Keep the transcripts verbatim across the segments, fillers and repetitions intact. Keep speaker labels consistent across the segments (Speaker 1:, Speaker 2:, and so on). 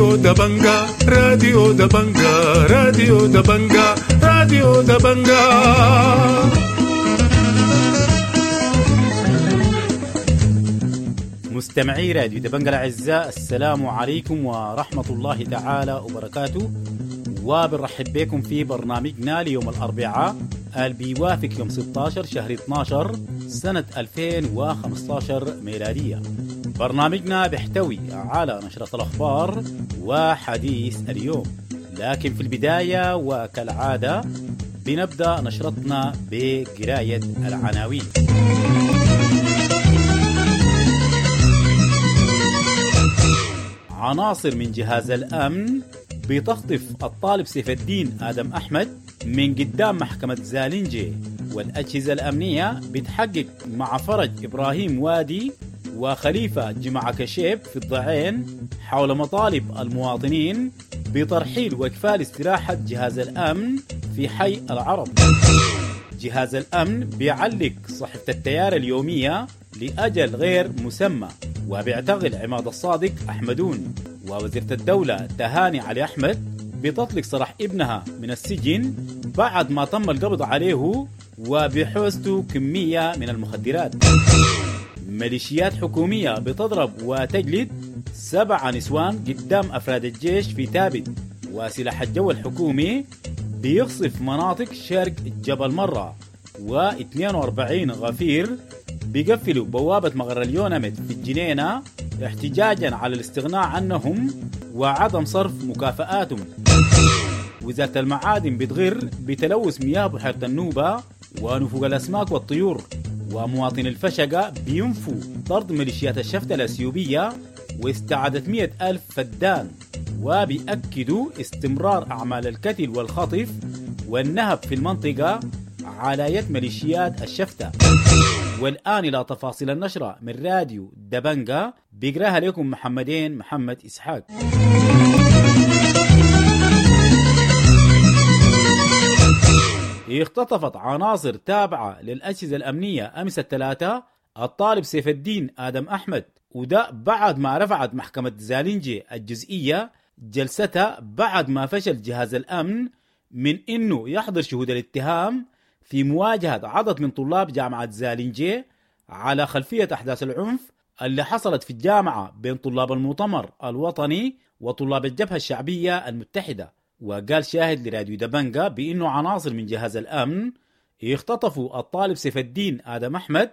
Speaker 1: راديو دبنجا راديو دبنجا راديو دبنجا راديو دبنجا.
Speaker 2: مستمعي راديو دبنجا الأعزاء، السلام عليكم ورحمة الله تعالى وبركاته، وبنرحب بكم في برنامجنا ليوم الأربعاء اللي بيوافق يوم ستة عشر شهر اثنا عشر سنة ألفين وخمسة عشر ميلادية. برنامجنا بيحتوي على نشرة الأخبار وحديث اليوم، لكن في البداية وكالعادة بنبدأ نشرتنا بقراية العناوين. عناصر من جهاز الأمن بتخطف الطالب سيف الدين آدم أحمد من قدام محكمة زالنجي، والأجهزة الأمنية بتحقق مع فرج إبراهيم وادي وخليفة جمعة كشيب في الضعين حول مطالب المواطنين بترحيل وإكفال استراحة جهاز الأمن في حي العرب. جهاز الأمن بيعلق صحيفة التيار اليومية لأجل غير مسمى، وبيعتقل عماد الصادق أحمدون. ووزيرة الدولة تهاني علي أحمد بتطلق سراح ابنها من السجن بعد ما تم القبض عليه وبحوزته كمية من المخدرات. ميليشيات حكومية بتضرب وتجلد سبع نسوان قدام أفراد الجيش في تابت، وسلاح الجو الحكومي بيقصف مناطق شرق جبل مرة، واثنين وأربعين غفير بيقفلوا بوابة مغر اليوناميد في الجنينة احتجاجا على الاستغناء عنهم وعدم صرف مكافآتهم. وزارة المعادن بتغر بتلوث مياه بحيرة النوبة ونفوق الأسماك والطيور، ومواطن الفشقة بينفوا طرد ميليشيات الشفتة الأثيوبية واستعادة مئة ألف فدان، وبيأكدوا استمرار أعمال القتل والخطف والنهب في المنطقة على يد ميليشيات الشفتة. والآن إلى تفاصيل النشرة من راديو دبنجا بيقراها لكم محمدين محمد إسحاق. اختطفت عناصر تابعة للأجهزة الأمنية أمس الثلاثاء الطالب سيف الدين آدم أحمد، وده بعد ما رفعت محكمة زالنجي الجزئية جلستها بعد ما فشل جهاز الأمن من إنه يحضر شهود الاتهام في مواجهة عدد من طلاب جامعة زالنجي على خلفية أحداث العنف اللي حصلت في الجامعة بين طلاب المؤتمر الوطني وطلاب الجبهة الشعبية المتحدة. وقال شاهد لراديو دبنجا بأنه عناصر من جهاز الأمن اختطفوا الطالب سيف الدين آدم أحمد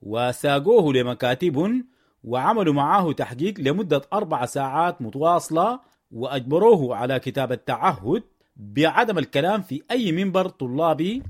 Speaker 2: وساقوه لمكاتب وعملوا معاه تحقيق لمدة أربع ساعات متواصلة، وأجبروه على كتابة تعهد بعدم الكلام في أي منبر طلابي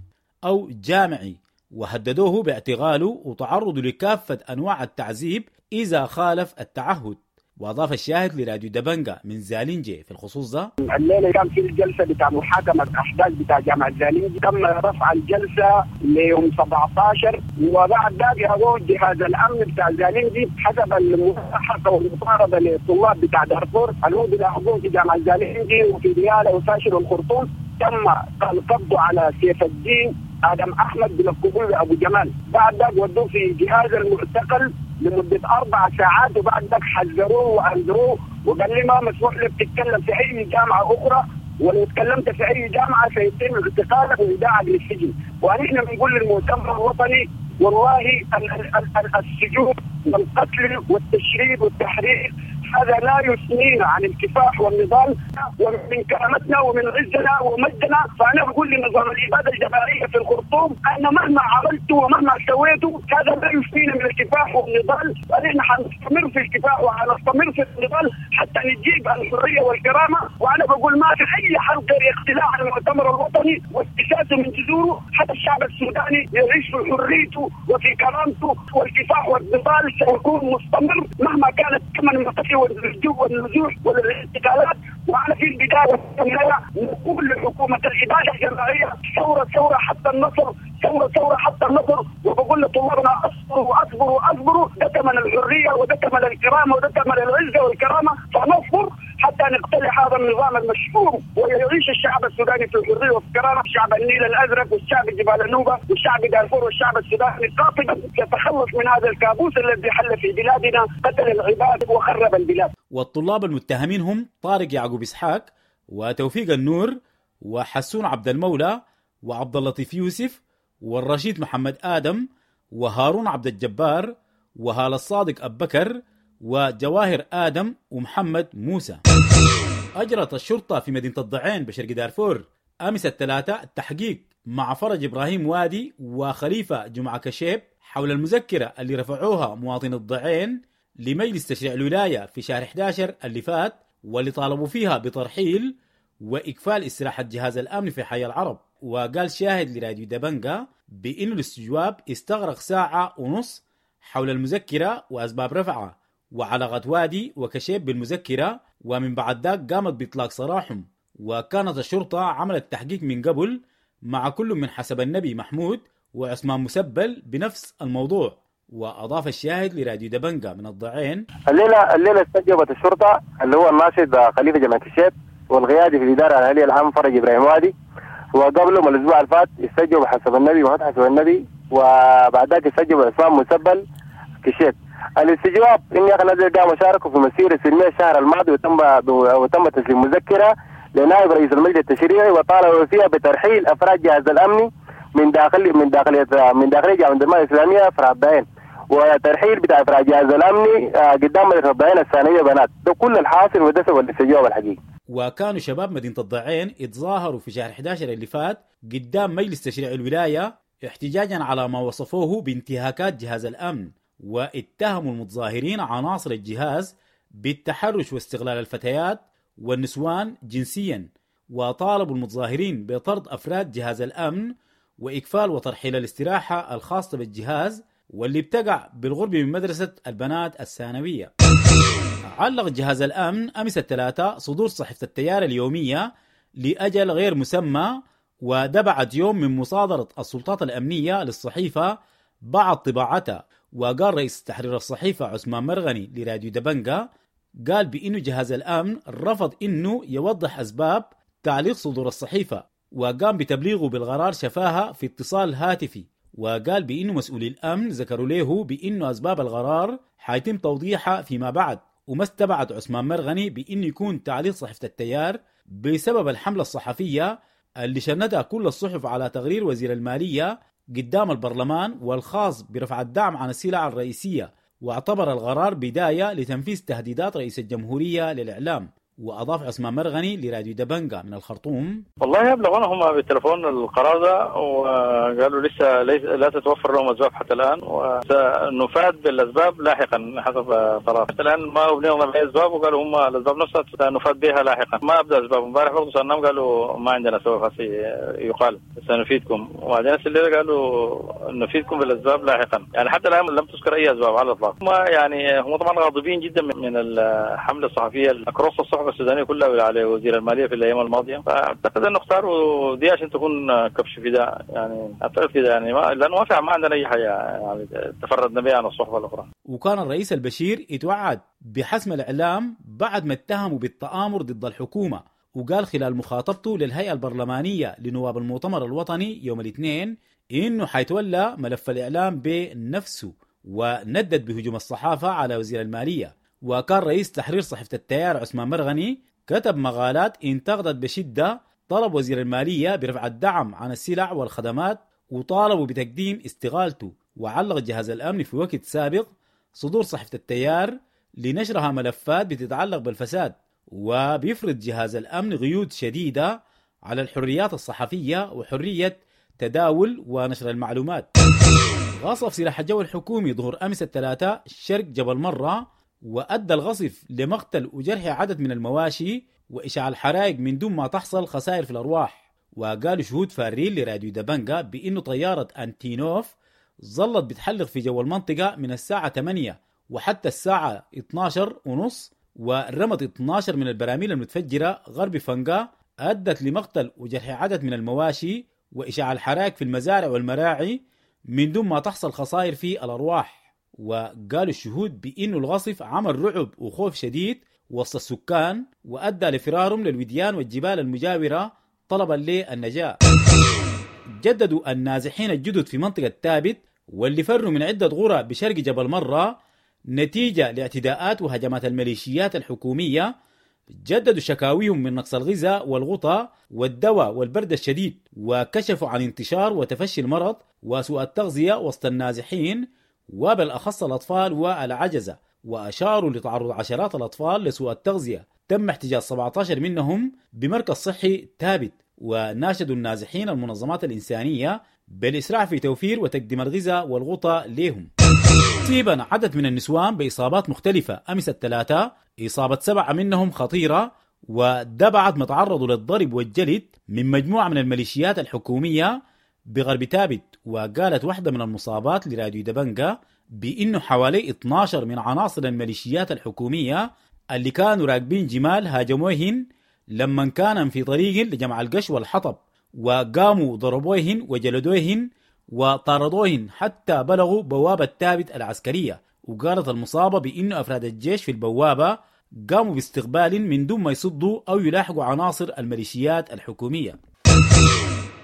Speaker 2: أو جامعي، وهددوه باعتقاله وتعرضه لكافة أنواع التعذيب إذا خالف التعهد. وأضاف الشاهد لراديو دبنجا من زالنجي في الخصوص ده:
Speaker 3: الليلة كان في الجلسة بتاع محاكمة أحداث بتاع جامعة زالنجي، تم رفع الجلسة ليوم سبعة عشر، وبعد ذلك هو جهاز الأمن بتاع زالنجي حسب الملاحقة والمطاردة للطلاب بتاع دارفور اللي هو بيلاحقوه في جامعة زالنجي وفي ديالى وفاشل والخرطوم. تم القبض على سيف الدين آدم أحمد بلقبوه أبو جمال، بعد ذلك ودوه في جهاز المعتقل لمدة أربع ساعات، وبعد ذلك حذروه وأنذروه وقال لي ما مسموح لك تتكلم في أي جامعة أخرى، ولو تكلمت في أي جامعة سيتم اعتقالك وإيداعك للسجن. ونحن بنقول للمؤتمر الوطني والله السجون والقتل والتشريد والتحرير هذا لا يثنينا عن الكفاح والنضال ومن كرامتنا ومن عزنا ومجدنا. فأنا بقول لنظام الإبادة الجماعية في الخرطوم أن مهما عملت ومهما سويت هذا لا يثنينا من الكفاح والنضال، ونحن حنستمر في الكفاح وحنستمر في النضال حتى نجيب الحرية والكرامة. وأنا بقول ما في أي حل غير اقتلاع المؤتمر الوطني واستساسه من جذوره حتى الشعب السوداني يعيش في حريته وفي كرامته، والكفاح والنضال سيكون مستمر مهما كانت ثمن المقتل والنزوح والاعتقالات. وعلى في البداية والنهاية نقول لحكومة الإبادة الجماعية ثورة ثورة حتى النصر، ثورة ثورة حتى النصر. وبقول لطلابنا اصبروا اصبروا اصبروا، ده ثمن الحرية وده ثمن الكرامة وده ثمن العزة والكرامة، فنصبر حتى نقتلع هذا النظام المشؤوم ويعيش الشعب السوداني في الحرية والكرامة. شعب النيل الازرق والشعب جبال النوبة والشعب دارفور والشعب السوداني قاطبا يتخلص من هذا الكابوس الذي حل في بلادنا، قتل العباد وخرب البلاد.
Speaker 2: والطلاب المتهمين هم طارق يعقوب إسحاق وتوفيق النور وحسون عبد المولى وعبد اللطيف يوسف والرشيد محمد آدم وهارون عبد الجبار وهال الصادق أبو بكر وجواهر آدم ومحمد موسى. أجرت الشرطة في مدينة الضعين بشرق دارفور أمس الثلاثاء التحقيق مع فرج إبراهيم وادي وخليفة جمعة كشيب حول المذكرة اللي رفعوها مواطن الضعين لمجلس تشريع الولاية في شهر إحدى عشر اللي فات، واللي طالبوا فيها بترحيل وإكفال استراحة جهاز الأمن في حي العرب. وقال شاهد لراديو دبنجا بأنه الاستجواب استغرق ساعة ونص حول المذكرة وأسباب رفعها وعلاقة وادي وكشيب بالمذكرة، ومن بعد ذاك قامت بإطلاق سراحهم. وكانت الشرطة عملت تحقيق من قبل مع كل من حسب النبي محمود وعثمان مسبل بنفس الموضوع. وأضاف الشاهد لراديو دبنجا من الضعين:
Speaker 4: الليلة الليلة استجوبت الشرطة اللي هو الناشط خليفة جمال كشيب والقيادي في الإدارة الأهلية العام فرج إبراهيم وادي، وقبله من الأسبوع الفات استجوب حسب النبي محمود حسب النبي، وبعد ذاك استجوب عثمان مسبل كشيب. الاستجواب إن يا أخي نزل قاموا شاركوا في مسيرة سلمية الشهر الماضي، وتم وتم تسليم مذكرة لنائب رئيس المجلس التشريعي وطالبوا فيها بترحيل أفراد جهاز الأمني من داخل من داخلية من داخلية جامعة الدمار الإسلامية فرع الضعين، وترحيل بتاع أفراد جهاز الأمني قدام مدرسة الضعين الثانوية بنات. ده كل الحاصل وده سبب الاستجواب الحقيقي.
Speaker 2: وكانوا شباب مدينة الضعين اتظاهروا في شهر إحدى عشر اللي فات قدام مجلس تشريع الولاية احتجاجا على ما وصفوه بانتهاكات جهاز الأمن، واتهموا المتظاهرين عناصر الجهاز بالتحرش واستغلال الفتيات والنسوان جنسيا، وطالبوا المتظاهرين بطرد أفراد جهاز الأمن وإكفال وترحيل الاستراحة الخاصة بالجهاز واللي بتقع بالغرب من مدرسة البنات الثانوية. علق جهاز الأمن أمس الثلاثاء صدور صحيفة التيار اليومية لأجل غير مسمى، وده بعد يوم من مصادرة السلطات الأمنية للصحيفة بعد طباعتها. وقال رئيس تحرير الصحيفة عثمان مرغني لراديو دبنجا، قال بأنه جهاز الأمن رفض أنه يوضح أسباب تعليق صدور الصحيفة، وقام بتبليغه بالقرار شفاها في اتصال هاتفي. وقال بأنه مسؤولي الأمن ذكروا له بأنه أسباب القرار حيتم توضيحها فيما بعد. وما استبعد عثمان مرغني بأنه يكون تعليق صحيفة التيار بسبب الحملة الصحفية اللي شنتها كل الصحف على تقرير وزير المالية قدام البرلمان والخاص برفع الدعم عن السلع الرئيسية، واعتبر القرار بداية لتنفيذ تهديدات رئيس الجمهورية للإعلام. وأضاف عثمان مرغني لراديو دبنجا من الخرطوم:
Speaker 5: والله أبلغونا هم بالتليفون القرار ده، وقالوا لسه ليس لا تتوفر لهم أسباب حتى الآن، وسنفاد بالأسباب لاحقا حسب قرار. حتى الآن ما أبلغنا بأي أسباب، وقالوا هم الأسباب نفسها سنفاد بها لاحقا. ما أبدأ أسباب. امبارح برضه سألناهم قالوا ما عندنا سبب يقال سنفيدكم، وبعدين الليلة قالوا نفيدكم بالأسباب لاحقا. يعني حتى الآن لم تذكر أي أسباب على الإطلاق. هم يعني هم طبعا غاضبين جدا من الحملة الصحفية أكروس الصحف السودانية كلها على وزير المالية في الأيام الماضية، فأعتقد أنه اختاروا دي عشان تكون كبش فداء. يعني أعتقد كده، يعني ما لأنه ما في ما عندنا أي حاجة يعني تفردنا بها عن الصحف الأخرى.
Speaker 2: وكان الرئيس البشير يتوعد بحسم الإعلام بعد ما اتهموا بالتآمر ضد الحكومة، وقال خلال مخاطبته للهيئة البرلمانية لنواب المؤتمر الوطني يوم الاثنين إنه حيتولى ملف الإعلام بنفسه، وندد بهجوم الصحافة على وزير المالية. وكان رئيس تحرير صحيفة التيار عثمان مرغني كتب مقالات انتقدت بشدة طلب وزير المالية برفع الدعم عن السلع والخدمات، وطالبوا بتقديم استقالته. وعلق جهاز الأمن في وقت سابق صدور صحيفة التيار لنشرها ملفات بتتعلق بالفساد، وبيفرض جهاز الأمن قيود شديدة على الحريات الصحفية وحرية تداول ونشر المعلومات. غصف سلاح الجو الحكومي ظهر أمس الثلاثاء شرق جبل مرة، وأدى الغصف لمقتل وجرح عدد من المواشي وإشعال الحرائق من دون ما تحصل خسائر في الأرواح. وقالوا شهود فارين لراديو دبنجا بأنه طيارة أنتينوف ظلت بتحلق في جو المنطقة من الساعة ثمانية وحتى الساعة اثني عشر ونص، ورمت اثني عشر من البراميل المتفجرة غرب فنقا، أدت لمقتل وجرح عدد من المواشي وإشعال الحرائق في المزارع والمراعي من دون ما تحصل خسائر في الأرواح. وقالوا الشهود بأنه الغصف عمل رعب وخوف شديد وسط السكان، وأدى لفرارهم للوديان والجبال المجاورة طلبا للنجاة. جددوا النازحين الجدد في منطقة تابت واللي فروا من عدة غرى بشرق جبل مرة نتيجة لاعتداءات وهجمات الميليشيات الحكومية جددوا شكاويهم من نقص الغذاء والغطاء والدواء والبرد الشديد، وكشفوا عن انتشار وتفشي المرض وسوء التغذية وسط النازحين وبالأخص الأطفال والعجزة، وأشاروا لتعرض عشرات الأطفال لسوء التغذية تم احتجاز سبعة عشر منهم بمركز صحي ثابت. وناشدوا النازحين المنظمات الإنسانية بالإسراع في توفير وتقديم الغذاء والغطاء لهم. أصيب عدد من النسوان بإصابات مختلفة أمس الثلاثاء، إصابة سبعة منهم خطيرة، وده بعد ما تعرضوا للضرب والجلد من مجموعة من الميليشيات الحكومية بغرب ثابت. وقالت واحدة من المصابات لراديو دبنجا بأنه حوالي اثنا عشر من عناصر الميليشيات الحكومية اللي كانوا راكبين جمال هاجموهن لما كان في طريق لجمع القش والحطب، وقاموا ضربوهن وجلدوهن وطاردوهن حتى بلغوا بوابة ثابت العسكرية. وقالت المصابة بأنه أفراد الجيش في البوابة قاموا باستقبال من دون ما يصدوا أو يلاحقوا عناصر الميليشيات الحكومية.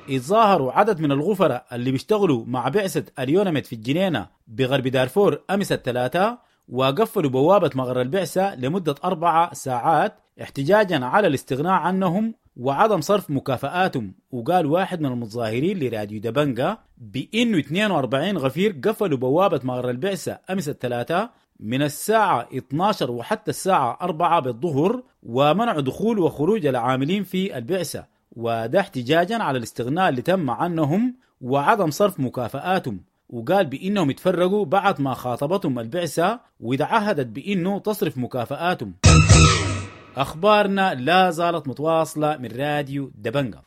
Speaker 2: اتظاهروا عدد من الغفرة اللي بيشتغلوا مع بعثة اليوناميد في الجنينة بغرب دارفور أمس الثلاثاء، وقفلوا بوابة مغر البعثة لمدة أربع ساعات احتجاجا على الاستغناء عنهم وعدم صرف مكافآتهم. وقال واحد من المتظاهرين لراديو دبنجا بأنه اثنين وأربعين غفير قفلوا بوابة مغر البعثة أمس الثلاثاء من الساعة اثنا عشر وحتى الساعة أربعة بالظهر، ومنعوا دخول وخروج العاملين في البعثة، وده احتجاجا على الاستغناء اللي تم عنهم وعدم صرف مكافآتهم. وقال بأنهم اتفرقوا بعد ما خاطبتهم البعثة وتعهدت بأنه تصرف مكافآتهم. أخبارنا لا زالت متواصلة من راديو دبنجا.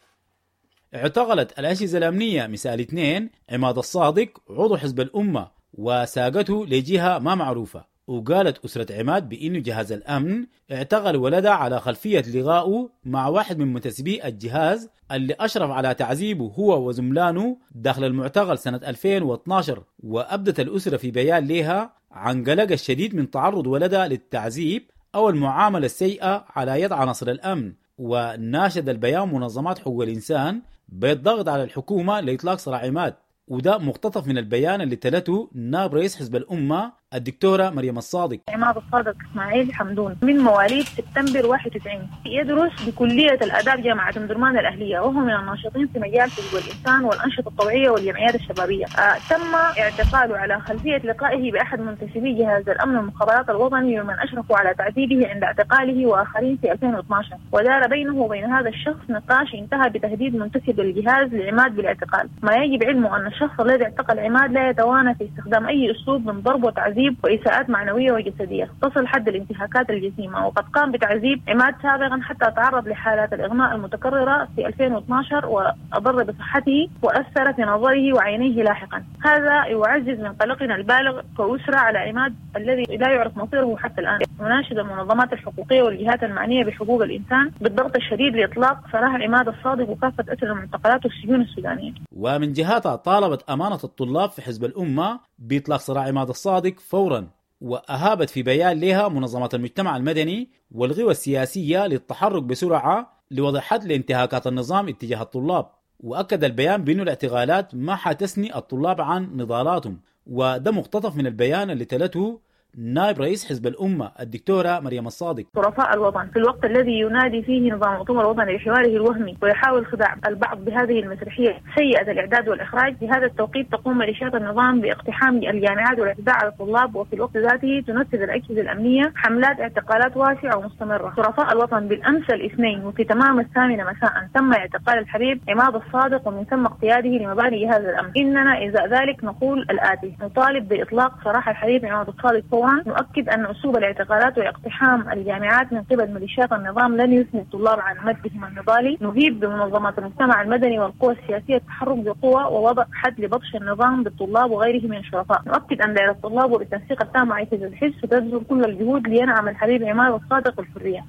Speaker 2: اعتقلت الأجهزة الأمنية مساء الاثنين عماد الصادق عضو حزب الأمة وساقته لجهة ما معروفة. وقالت أسرة عماد بأنه جهاز الأمن اعتقل ولده على خلفية لقائه مع واحد من منتسبي الجهاز اللي أشرف على تعذيبه هو وزملانه داخل المعتقل سنة ألفين واثنا عشر. وأبدت الأسرة في بيان لها عن قلق الشديد من تعرض ولدها للتعذيب أو المعاملة السيئة على يد عناصر الأمن. وناشد البيان منظمات حقوق الإنسان بالضغط على الحكومة لإطلاق سراح عماد. وده مقتطف من البيان اللي تلته نائب رئيس حزب الأمة الدكتورة مريم الصادق.
Speaker 6: عماد الصادق إسماعيل حمدون من مواليد سبتمبر واحد وتسعين، يدرس بكلية الآداب جامعة أم درمان الأهلية، وهو من الناشطين في مجال حقوق الإنسان والأنشطة الطوعية والجمعيات الشبابية. آه تم اعتقاله على خلفية لقائه بأحد منتسبي جهاز الأمن والمخابرات الوطني ومن أشرفوا على تعذيبه عند اعتقاله وآخرين في ألفين واثنا عشر، ودار بينه وبين هذا الشخص نقاش انتهى بتهديد منتسب الجهاز لعماد بالاعتقال. ما يجب علمه أن الشخص الذي اعتقل عماد لا يتوانى في استخدام أي أسلوب من ضرب وتعذيب وإساءات معنوية وجسدية تصل حد الانتهاكات الجسيمة، وقد قام بتعذيب عماد سابقا حتى تعرض لحالات الإغماء المتكررة في ألفين واثنا عشر وأضر بصحته وأثر في نظره وعينيه لاحقا. هذا يعزز من قلقنا البالغ كأسرة على عماد الذي لا يعرف مصيره حتى الآن. نناشد المنظمات الحقوقية والجهات المعنية بحقوق الإنسان بالضغط الشديد لإطلاق سراح عماد الصادق وكافة أسر المعتقلات والسجون السودانية.
Speaker 2: ومن جهتها طالبت أمانة الطلاب في حزب الأمة بإطلاق سراح عماد الصادق فورا، وأهابت في بيان لها منظمات المجتمع المدني والقوى السياسية للتحرك بسرعة لوضع حد لانتهاكات النظام اتجاه الطلاب. وأكد البيان بأن الاعتقالات ما حتثني الطلاب عن نضالاتهم. وده مقتطف من البيان اللي تلته نائب رئيس حزب الأمة الدكتورة مريم الصادق.
Speaker 6: شرفاء الوطن في الوقت الذي ينادي فيه نظام المؤتمر الوطني بحواره الوهمي ويحاول خداع البعض بهذه المسرحية سيئة الإعداد والإخراج، في هذا التوقيت تقوم ميليشيات النظام باقتحام الجامعات والاعتداء على الطلاب، وفي الوقت ذاته تنفذ الأجهزة الأمنية حملات اعتقالات واسعة ومستمرة. شرفاء الوطن بالأمس الاثنين وفي تمام الثامنة مساء تم اعتقال الحبيب عماد الصادق ومن ثم اقتياده لمباني جهاز الأمن. إننا إذا ذلك نقول الآتي: نطالب بإطلاق سراح الحبيب عماد الصادق فورا. نؤكد أن أسلوب الاعتقالات واقتحام الجامعات من قبل ميليشيات النظام لن يثني الطلاب عن مدهم النضالي. نهيب بمنظمات المجتمع المدني والقوى السياسية التحرك بقوة ووضع حد لبطش النظام بالطلاب وغيره من الشرفاء. نؤكد أن دائرة الطلاب وبالتنسيق التام مع أجهزة الحزب ستبذل كل الجهود لينعم الحبيب عماد الصادق الحرية.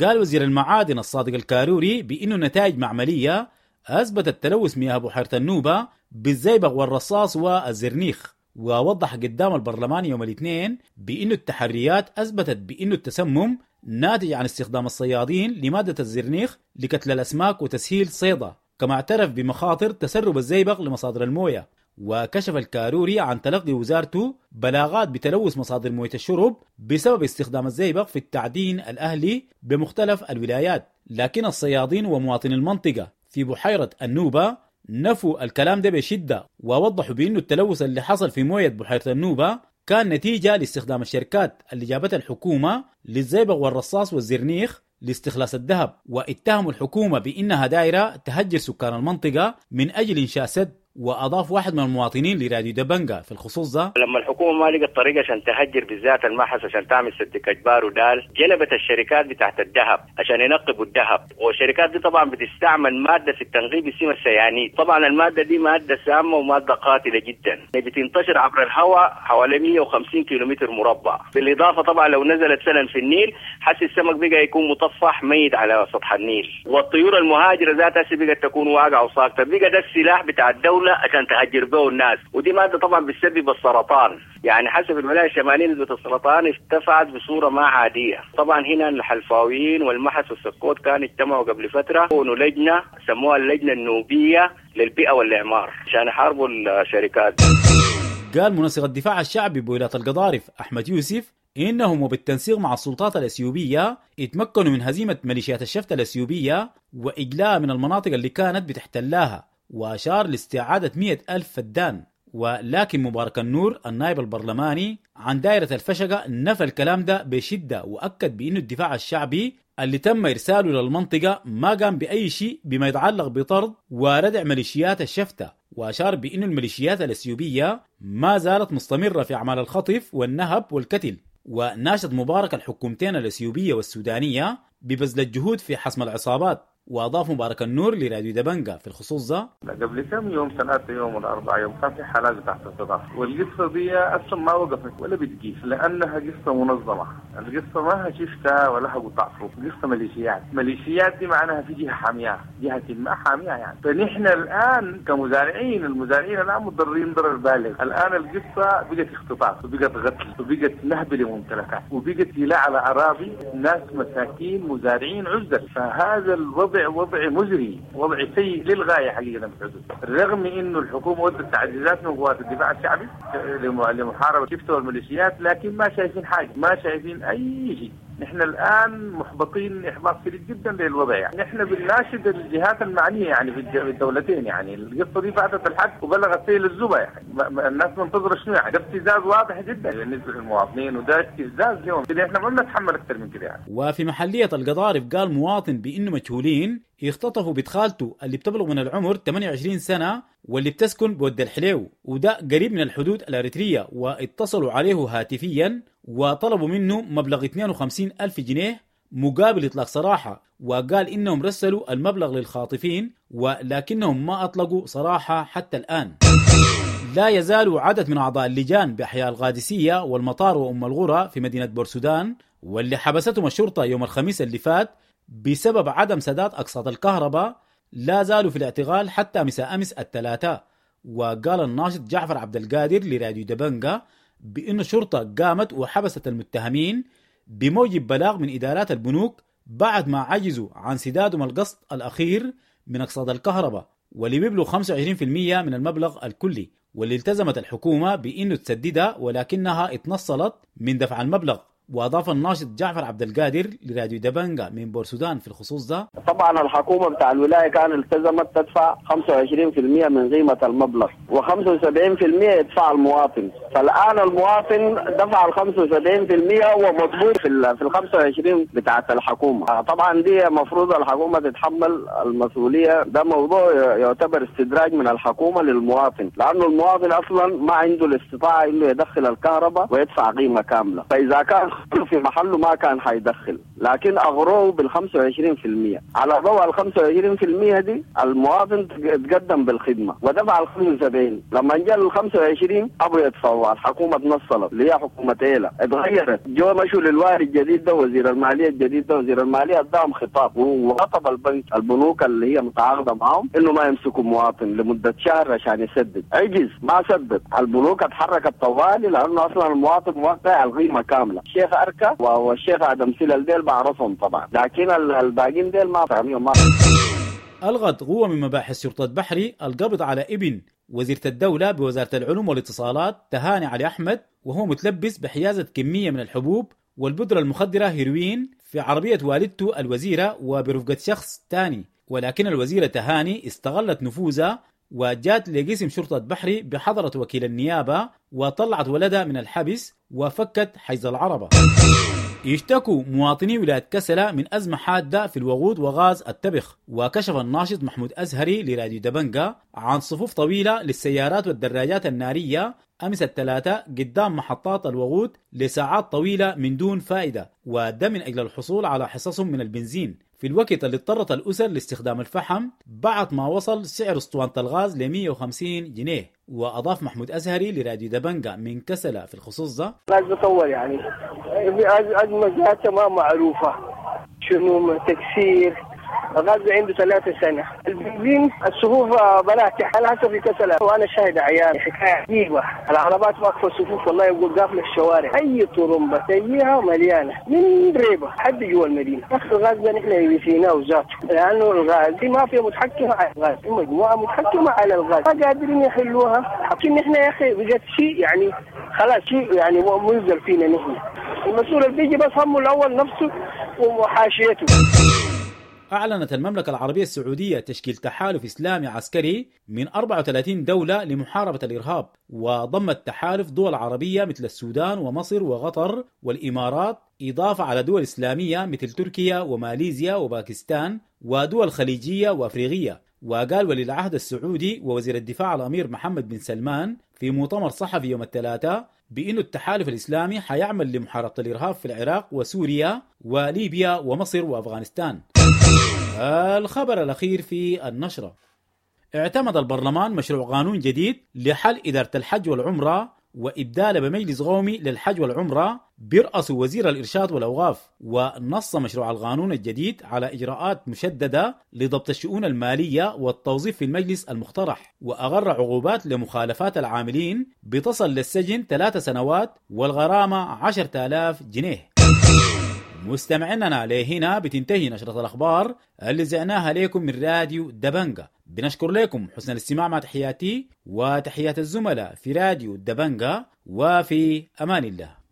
Speaker 2: قال وزير المعادن الصادق الكاروري بأنه نتائج معملية أثبتت تلوث مياه بحيرة النوبة بالزيبق والرصاص والزرنيخ. ووضح قدام البرلمان يوم الاثنين بأن التحريات أثبتت بأن التسمم ناتج عن استخدام الصيادين لمادة الزرنيخ لقتل الأسماك وتسهيل صيدها، كما اعترف بمخاطر تسرب الزيبق لمصادر الموية. وكشف الكاروري عن تلقي وزارته بلاغات بتلوث مصادر موية الشرب بسبب استخدام الزئبق في التعدين الأهلي بمختلف الولايات، لكن الصيادين ومواطني المنطقة في بحيرة النوبة نفوا الكلام ده بشدة، ووضحوا بأنه التلوث اللي حصل في موية بحيرة النوبة كان نتيجة لاستخدام الشركات اللي جابتها الحكومة للزئبق والرصاص والزرنيخ لاستخلاص الذهب، واتهموا الحكومة بأنها دائرة تهجر سكان المنطقة من أجل إنشاء سد. وأضاف واحد من المواطنين لراديو دبنجا في الخصوص ده:
Speaker 7: لما الحكومة ما لقت طريقة عشان تهجر بالذات المحس عشان تعمل سد كجبار ودال، جلبت الشركات بتاعت الذهب عشان ينقبوا الذهب، والشركات دي طبعا بتستعمل مادة في التنقيب اسمها السيانيد. طبعا المادة دي مادة سامة ومادة قاتلة جدا، بتنتشر عبر الهواء حوالي مئة وخمسين كيلومتر مربع. بالإضافة طبعا لو نزلت سنة في النيل حس السمك بقى يكون مطفح ميت على سطح النيل، والطيور المهاجرة ذاتها بقت تكون واقعة وساقطة. بقى ده السلاح بتاع الدولة عشان تهجر به الناس، ودي مادة طبعا بتسبب السرطان. يعني حسب الولاية الشمالية نسبة السرطان ارتفعت بصورة ما عادية. طبعا هنا الحلفاويين والمحس والسكوت كانوا اجتمعوا قبل فترة كونوا لجنة سموها اللجنة النوبية للبيئة والإعمار عشان يحاربوا الشركات.
Speaker 2: قال منسق الدفاع الشعبي بولاية القضارف أحمد يوسف إنهم وبالتنسيق مع السلطات الأثيوبية اتمكنوا من هزيمة ميليشيات الشفت الأثيوبية وإجلاء من المناطق اللي كانت بتحتلها، وأشار لاستعادة مئة ألف فدان. ولكن مبارك النور النائب البرلماني عن دائرة الفشقة نفى الكلام ده بشدة، وأكد بأنه الدفاع الشعبي اللي تم إرساله للمنطقة ما قام بأي شيء بما يتعلق بطرد وردع ميليشيات الشفتة، وأشار بأن الميليشيات الأثيوبية ما زالت مستمرة في أعمال الخطف والنهب والقتل. وناشد مبارك الحكومتين الأثيوبية والسودانية ببذل الجهود في حسم العصابات. وأضاف مبارك النور لراديو دبنجا في الخصوص ده:
Speaker 8: قبل كم يوم، ثلاثة يوم ولا أربعة يوم، كان في حالات تحت الصداع، والقصة دي أصلا ما وقفت ولا بتجيش لأنها قصة منظمة. القصة ما هي شفتها ولا قطع فوق، قصة ميليشيات. ميليشيات دي معناها في جهة حامية، جهة ما حامية يعني. فنحن الآن كمزارعين، المزارعين الآن متضررين ضرر بالغ. الآن القصة بقت اختطاف وبقت قتل وبقت نهب لممتلكات وبقت سلاح على أراضي ناس مساكين مزارعين عزل. فهذا الوضع وضع مزري، وضع سيء للغاية حقيقة في الحدود. رغم انه الحكومة ودت تعزيزات من قوات الدفاع الشعبي لمحاربة شفته والميليشيات، لكن ما شايفين حاجة، ما شايفين اي شيء. نحن الآن محبطين إحباط شديد جدا للوضع يعني. نحن بنناشد الجهات المعنية يعني في الدولتين يعني. القصة دي فاتت الحد وبلغت سيل الزبا يعني. الناس منتظرة شنو يعني؟ ده ابتزاز واضح جدا بالنسبة للمواطنين، وده استفزاز لهم. احنا ما بنتحمل أكثر من كده يعني.
Speaker 2: وفي محلية القضارف قال مواطن بأنه مجهولين اختطفوا بنت خالته اللي بتبلغ من العمر ثمانية وعشرين سنة واللي بتسكن بود الحليو، وده قريب من الحدود الأريترية، واتصلوا عليه هاتفيا وطلبوا منه مبلغ اثنين وخمسين ألف جنيه مقابل إطلاق سراحة، وقال إنهم رسلوا المبلغ للخاطفين ولكنهم ما أطلقوا سراحة حتى الآن. لا يزال عدد من أعضاء اللجان بأحياء القادسية والمطار وأم الغرة في مدينة بورسودان واللي حبستهم الشرطة يوم الخميس اللي فات بسبب عدم سداد أقساط الكهرباء لا زالوا في الاعتقال حتى مساء أمس الثلاثاء. وقال الناشط جعفر عبد القادر لراديو دبنجا بأن الشرطة قامت وحبست المتهمين بموجب بلاغ من إدارات البنوك بعد ما عجزوا عن سدادهم القسط الأخير من أقساط الكهرباء واللي بيبلغ خمسة وعشرين بالمئة من المبلغ الكلي، واللي التزمت الحكومة بأنه تسددها ولكنها اتنصلت من دفع المبلغ. وأضاف الناشط جعفر عبد القادر لراديو دبنجا من بورسودان في الخصوص ده:
Speaker 4: طبعا الحكومة بتاع الولاية كان التزمت تدفع خمسة وعشرين بالمئة من قيمة المبلغ وخمسة وسبعين بالمئة يدفع المواطن. فالآن المواطن دفع ال خمسة وسبعين بالمئة ومطلوب في ال في ال خمسة وعشرين بتاعة الحكومة. طبعا دي المفروض الحكومة تتحمل المسؤولية. ده موضوع يعتبر استدراج من الحكومة للمواطن، لأنه المواطن أصلا ما عنده الاستطاعة إنه يدخل الكهرباء ويدفع قيمة كاملة، فإذا كان في محله ما كان حيدخل، لكن أغروه بال خمسة وعشرين بالمئة. على ضوء ال خمسة وعشرين بالمئة دي المواطن تقدم بالخدمة ودفع ال خمسة وسبعين. لما جاء ال خمسة وعشرين أبو يدفعوا، الحكومة تنصلت اللي هي حكومة إيلا اتغيرت، جو مشوا للوالي الجديد ده وزير المالية الجديد ده، وزير المالية اداهم خطاب وخطب البنك البنوك اللي هي متعاقدة معهم إنه ما يمسكوا مواطن لمدة شهر عشان يسدد. عجز ما سدد، البنوك اتحركت طوالي لأنه أصلا المواطن موقع القيمة كاملة. الشيخ أركا والشيخ آدم سلال ديل بعرفهم طبعا، لكن الباقين ديل ما فاهمين. ما
Speaker 2: ألغت قوة من مباحث شرطة بحري القبض على ابن وزيرة الدولة بوزارة العلوم والاتصالات تهاني علي أحمد وهو متلبس بحيازة كمية من الحبوب والبودرة المخدرة هيروين في عربية والدته الوزيرة وبرفقة شخص تاني، ولكن الوزيرة تهاني استغلت نفوذها وجات لقسم شرطة بحري بحضرة وكيل النيابة وطلعت ولدها من الحبس وفكت حيز العربة. يشتكوا مواطني ولاية كسلة من أزمة حادة في الوقود وغاز التبخ، وكشف الناشط محمود أزهري لراديو دبنجة عن صفوف طويلة للسيارات والدراجات النارية أمس الثلاثاء قدام محطات الوقود لساعات طويلة من دون فائدة، وده من أجل الحصول على حصصهم من البنزين في الوقت اللي اضطرت الأسر لاستخدام الفحم بعد ما وصل سعر اسطوانة الغاز ل مئة وخمسين جنيه. وأضاف محمود أزهري لراديو دبنجة من كسلة في الخصوص ده:
Speaker 9: الغاز بطول يعني أزمة ذاتها ما معروفة شنو تكسير الغاز عنده ثلاثة سنة. البنزين الصفوف بناتح أنا هسه في كسلة وأنا شاهد عيان حكاية عجيبة، العربات واقفة صفوف والله يقول قافلة الشوارع، أي طرمبة تجيها مليانة من ريبة حد جوا المدينة. أخي الغاز ده نحن نسيناه ذاته، لأنه الغاز ما في متحكمة على الغاز، في مجموعة متحكمة على الغاز ما قادرين يحلوها. لكن نحن يا أخي بقت شيء يعني خلاص شيء يعني منزل فينا نحن. المسؤول اللي بيجي بس همه الأول نفسه وحاشيته.
Speaker 2: أعلنت المملكة العربية السعودية تشكيل تحالف إسلامي عسكري من أربعة وثلاثين دولة لمحاربة الإرهاب، وضم التحالف دول عربية مثل السودان ومصر وقطر والإمارات، إضافة على دول إسلامية مثل تركيا وماليزيا وباكستان ودول خليجية وأفريقية. وقال ولي العهد السعودي ووزير الدفاع الأمير محمد بن سلمان في مؤتمر صحفي يوم الثلاثاء بأن التحالف الإسلامي حيعمل لمحاربة الإرهاب في العراق وسوريا وليبيا ومصر وأفغانستان. الخبر الأخير في النشرة: اعتمد البرلمان مشروع قانون جديد لحل إدارة الحج والعمرة وإبدال بمجلس قومي للحج والعمرة برأس وزير الإرشاد والأوقاف. ونص مشروع القانون الجديد على إجراءات مشددة لضبط الشؤون المالية والتوظيف في المجلس المقترح، وأغر عقوبات لمخالفات العاملين بتصل للسجن ثلاث سنوات والغرامة عشرة آلاف جنيه. مستمعيننا لهنا بتنتهي نشرة الأخبار اللي زعناها لكم من راديو دبنجة. بنشكر لكم حسن الاستماع، مع تحياتي وتحيات الزملاء في راديو دبنجة، وفي أمان الله.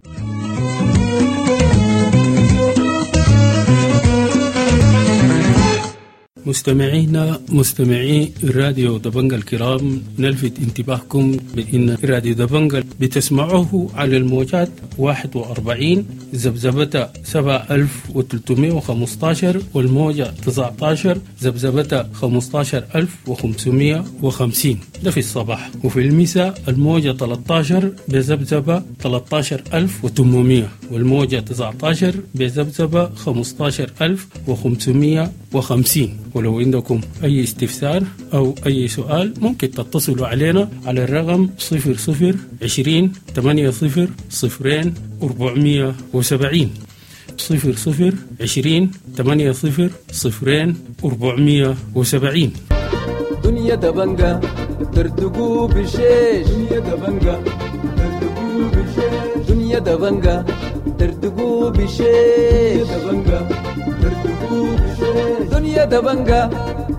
Speaker 10: مستمعينا مستمعي راديو دبنجة الكرام، نلفت انتباهكم بأن راديو دبنجة بتسمعوه على الموجات واحد وأربعين ذبذبة سبعة آلاف وثلاثمائة وخمسة عشر والموجة تسعة عشر ذبذبة خمسة عشر ألف وخمسمائة وخمسين، ده في الصباح، وفي المساء الموجة ثلاثة عشر بذبذبة ثلاثة عشر ألف وثمانمائة والموجة تسعة عشر بذبذبة خمسة عشر ألف وخمسمائة وخمسين. ولو عندكم أي استفسار أو أي سؤال ممكن تتصلوا علينا على الرقم صفر صفر عشرين ثمانية صفر صفرين أربعمية وسبعين، صفر صفر عشرين ثمانية صفر صفرين أربعمية وسبعين.
Speaker 11: دنيا دبنجة ترتقو بشيش، دنيا دبنجة ترتقو بشيش، دنيا دبنجة ترتقو بشيش، دبنجة ترتقو بشيش، دنيا دبنجة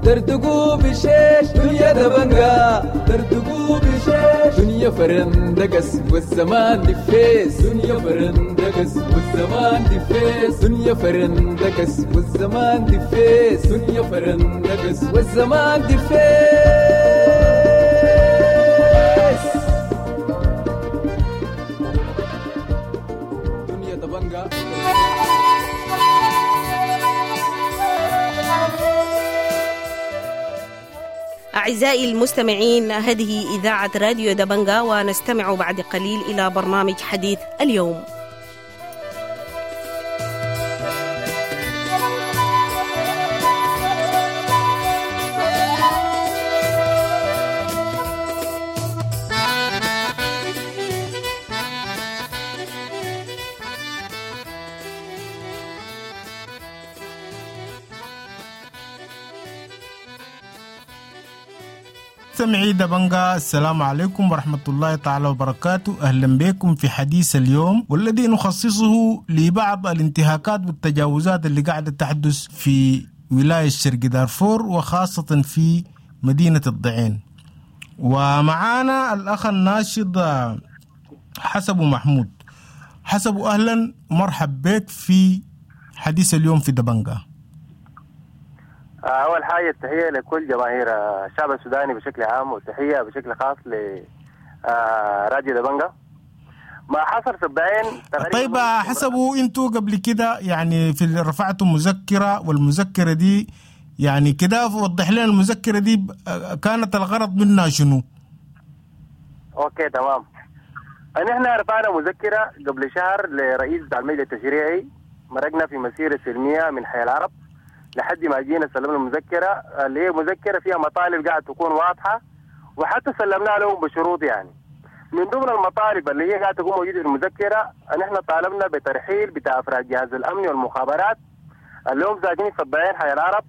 Speaker 11: ترتقو بشيش، دنيا دبنجة ترتقو بشيش، دنيا فرندقس والزمان دفيس، دنيا فرندقس والزمان دفيس، دنيا فرندقس والزمان دفيس، دنيا فرندقس والزمان دفيس. دنيا دبنجة.
Speaker 12: أعزائي المستمعين، هذه إذاعة راديو دبنجة، ونستمع بعد قليل إلى برنامج حديث اليوم.
Speaker 13: مستمعي دبنجة، السلام عليكم ورحمة الله تعالى وبركاته. أهلا بكم في حديث اليوم، والذي نخصصه لبعض الانتهاكات والتجاوزات اللي قاعدة تحدث في ولاية شرق دارفور، وخاصة في مدينة الضعين. ومعانا الأخ الناشط حسب محمود. حسب، أهلا ومرحب بك في حديث اليوم في دبنجة.
Speaker 4: أول حاجة التحية لكل جماهير الشعب السوداني بشكل عام، والتحية بشكل خاص لراديو دبنجة. ما حصل في الضعين.
Speaker 13: طيب حسبوا انتوا قبل كده يعني في رفعتوا مذكرة، والمذكرة دي يعني كده وضح لنا المذكرة دي كانت الغرض منها شنو؟
Speaker 4: okay تمام. نحن رفعنا مذكرة قبل شهر لرئيس المجلس التشريعي، مرقنا في مسيرة سلمية من حي العرب لحد ما جينا سلمنا المذكرة اللي هي مذكرة فيها مطالب قاعد تكون واضحة، وحتى سلمناها لهم بشروط. يعني من ضمن المطالب اللي هي قاعدة تكون موجودة في المذكرة، نحن طالبنا بترحيل بتاع أفراد جهاز الأمن والمخابرات اللي هم ساكنين في الضعين حي العرب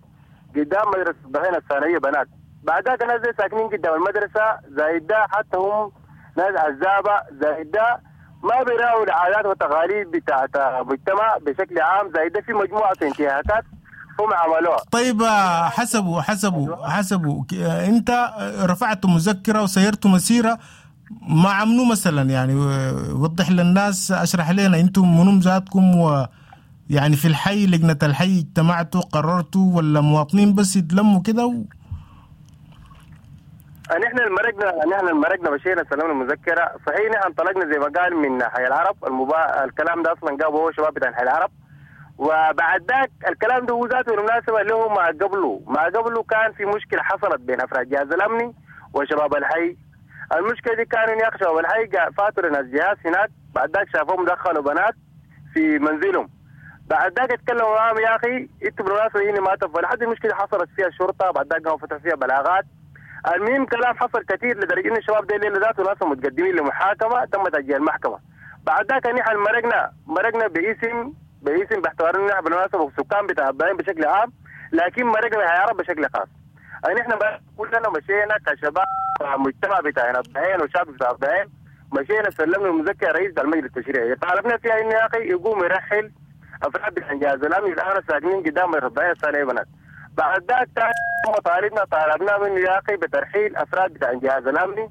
Speaker 4: قدام مدرسة الضعين الثانوية بنات. بعدها ناس ساكنين قدام المدرسة زايد ده، حتى هم ناس عزابة زايد ده ما بيراوا العادات والتقاليد بتاعت المجتمع بشكل عام، زايد ده في مجموعة انتهاكات هم عملوها.
Speaker 13: طيب حسبوا حسبوا حسبوا انت رفعت مذكرة وسيرت مسيرة مع منو مثلا؟ يعني وضح للناس، اشرح لنا انتم منو ذاتكم، و يعني في الحي لجنة الحي اجتمعتوا قررتوا ولا مواطنين بس يتلموا كده و...
Speaker 4: نحن المرقنا نحن المرقنا مشينا سلمنا المذكرة. صحيح نحن انطلقنا زي ما قال من حي العرب، المبا... الكلام ده اصلا جابه هو شباب بتاع حي العرب، وبعد ذاك الكلام ده هو ذاته بالمناسبة اللي هو ما قبله ما قبله كان في مشكلة حصلت بين افراد جهاز الامني وشباب الحي. المشكلة دي كانوا يا اخي شباب الحي فاتوا لناس جهاز هناك، بعد ذاك شافوهم دخلوا بنات في منزلهم، بعد ذاك اتكلموا معاهم يا اخي انتوا بالمناسبة هنا ما تفوا، لحد المشكلة حصلت فيها الشرطة، بعد ذاك قاموا فتحوا فيها بلاغات. المهم كلام حصل كثير لدرجة ان الشباب دي الليلة ذاته ناس متقدمين لمحاكمه تم تاجيل المحكمة. بعد ذاك نحن مرقنا مرقنا باسم باسم باعتبار ان نحن بالمناسبة سكان بتاع الضعين بشكل عام، لكن مرقنا حي العرب بشكل خاص. نحن كلنا مشينا كشباب مجتمع بتاعنا الضعين وشعب بتاع الضعين، مشينا سلمنا المذكرة رئيس المجلس التشريعي، طالبنا فيها انه يا اخي يقوم يرحل افراد الجهاز الامني الان ساكنين قدام الضعين الثانية بنات. بعد ذاك طالبنا طالبنا منه يا اخي بترحيل افراد بتاع الجهاز الامني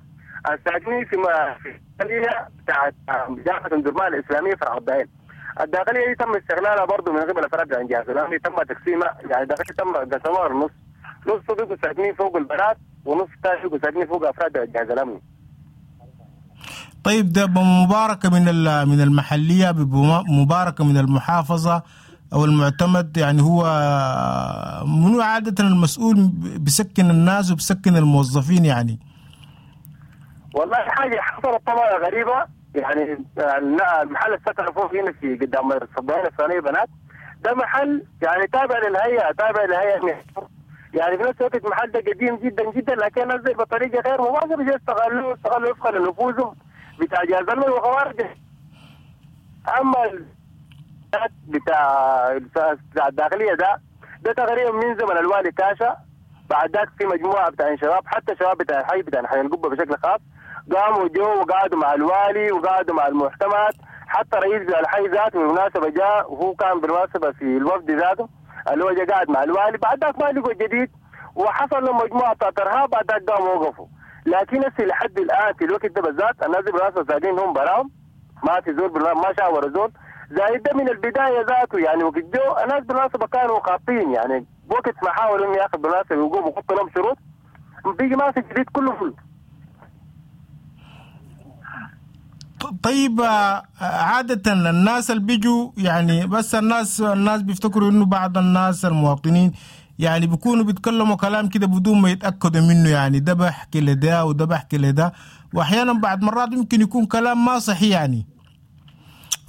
Speaker 4: الساكنين في الداخلية بتاعت جامعه ام درمان الاسلامية فرع الضعين. الداخلية دي تم استغلالها برضه من قبل افراد بتاع الجهاز الامني، تم تقسيمها، يعني الداخلية تم قسموها النص، نص بيبقوا ساكنين فوق البنات ونص ثاني بيبقوا ساكنين فوق افراد الجهاز الامني.
Speaker 13: طيب ده بمباركه من من المحلية، بمباركه من المحافظة او المعتمد، يعني هو منو عادة المسؤول بسكن الناس وبسكن الموظفين؟ يعني
Speaker 4: والله حاجة حصلت طبعا غريبة، يعني المحل السكن فوق هنا في قدام الصباين الثانية بنات، ده محل يعني تابع للهيئة، تابع للهيئة، يعني في نفس الوقت المحل ده قديم جدا جدا، لكن نزل بطريقة غير مباشرة، استغلوه استغلوا وفقا لنفوذهم بتاع جهاز الامن وخوارج. اما بتاع بتاع الداخلية ده ده تقريبا من زمن الوالي كاشا، بعد ذاك في مجموعة بتاع شباب، حتى شباب بتاع الحي بتاع حي القبة بشكل خاص قاموا جو وقعدوا مع الوالي وقعدوا مع المعتمد، حتى رئيس بتاع الحي ذاته بالمناسبة جاء، وهو كان بالمناسبة في الوفد ذاته اللي هو جاء قاعد مع الوالي. بعد ذاك ما لقوا جديد وحصل لهم مجموعة بتاعت ارهاب، بعد ذاك قاموا وقفوا. لكن هسه لحد الان في الوقت ده بالذات الناس بالمناسبة ساكنين هم براهم، ما في زول ما شاوروا زول، زايد ده من البداية ذاته. يعني وقت جو الناس بالمناسبة كانوا خاطين، يعني وقت ما حاولوا انه ياخذ بالمناسبة يقوموا ويحطوا لهم شروط بيجي ما في جديد كله فل.
Speaker 13: طيب عادة الناس اللي بيجوا يعني بس الناس الناس بيفتكروا انه بعض الناس المواطنين يعني بيكونوا بيتكلموا كلام كده بدون ما يتأكدوا منه، يعني ده بحكي لده وده بحكي لده، واحيانا بعد مرات يمكن يكون كلام ما صحيح يعني.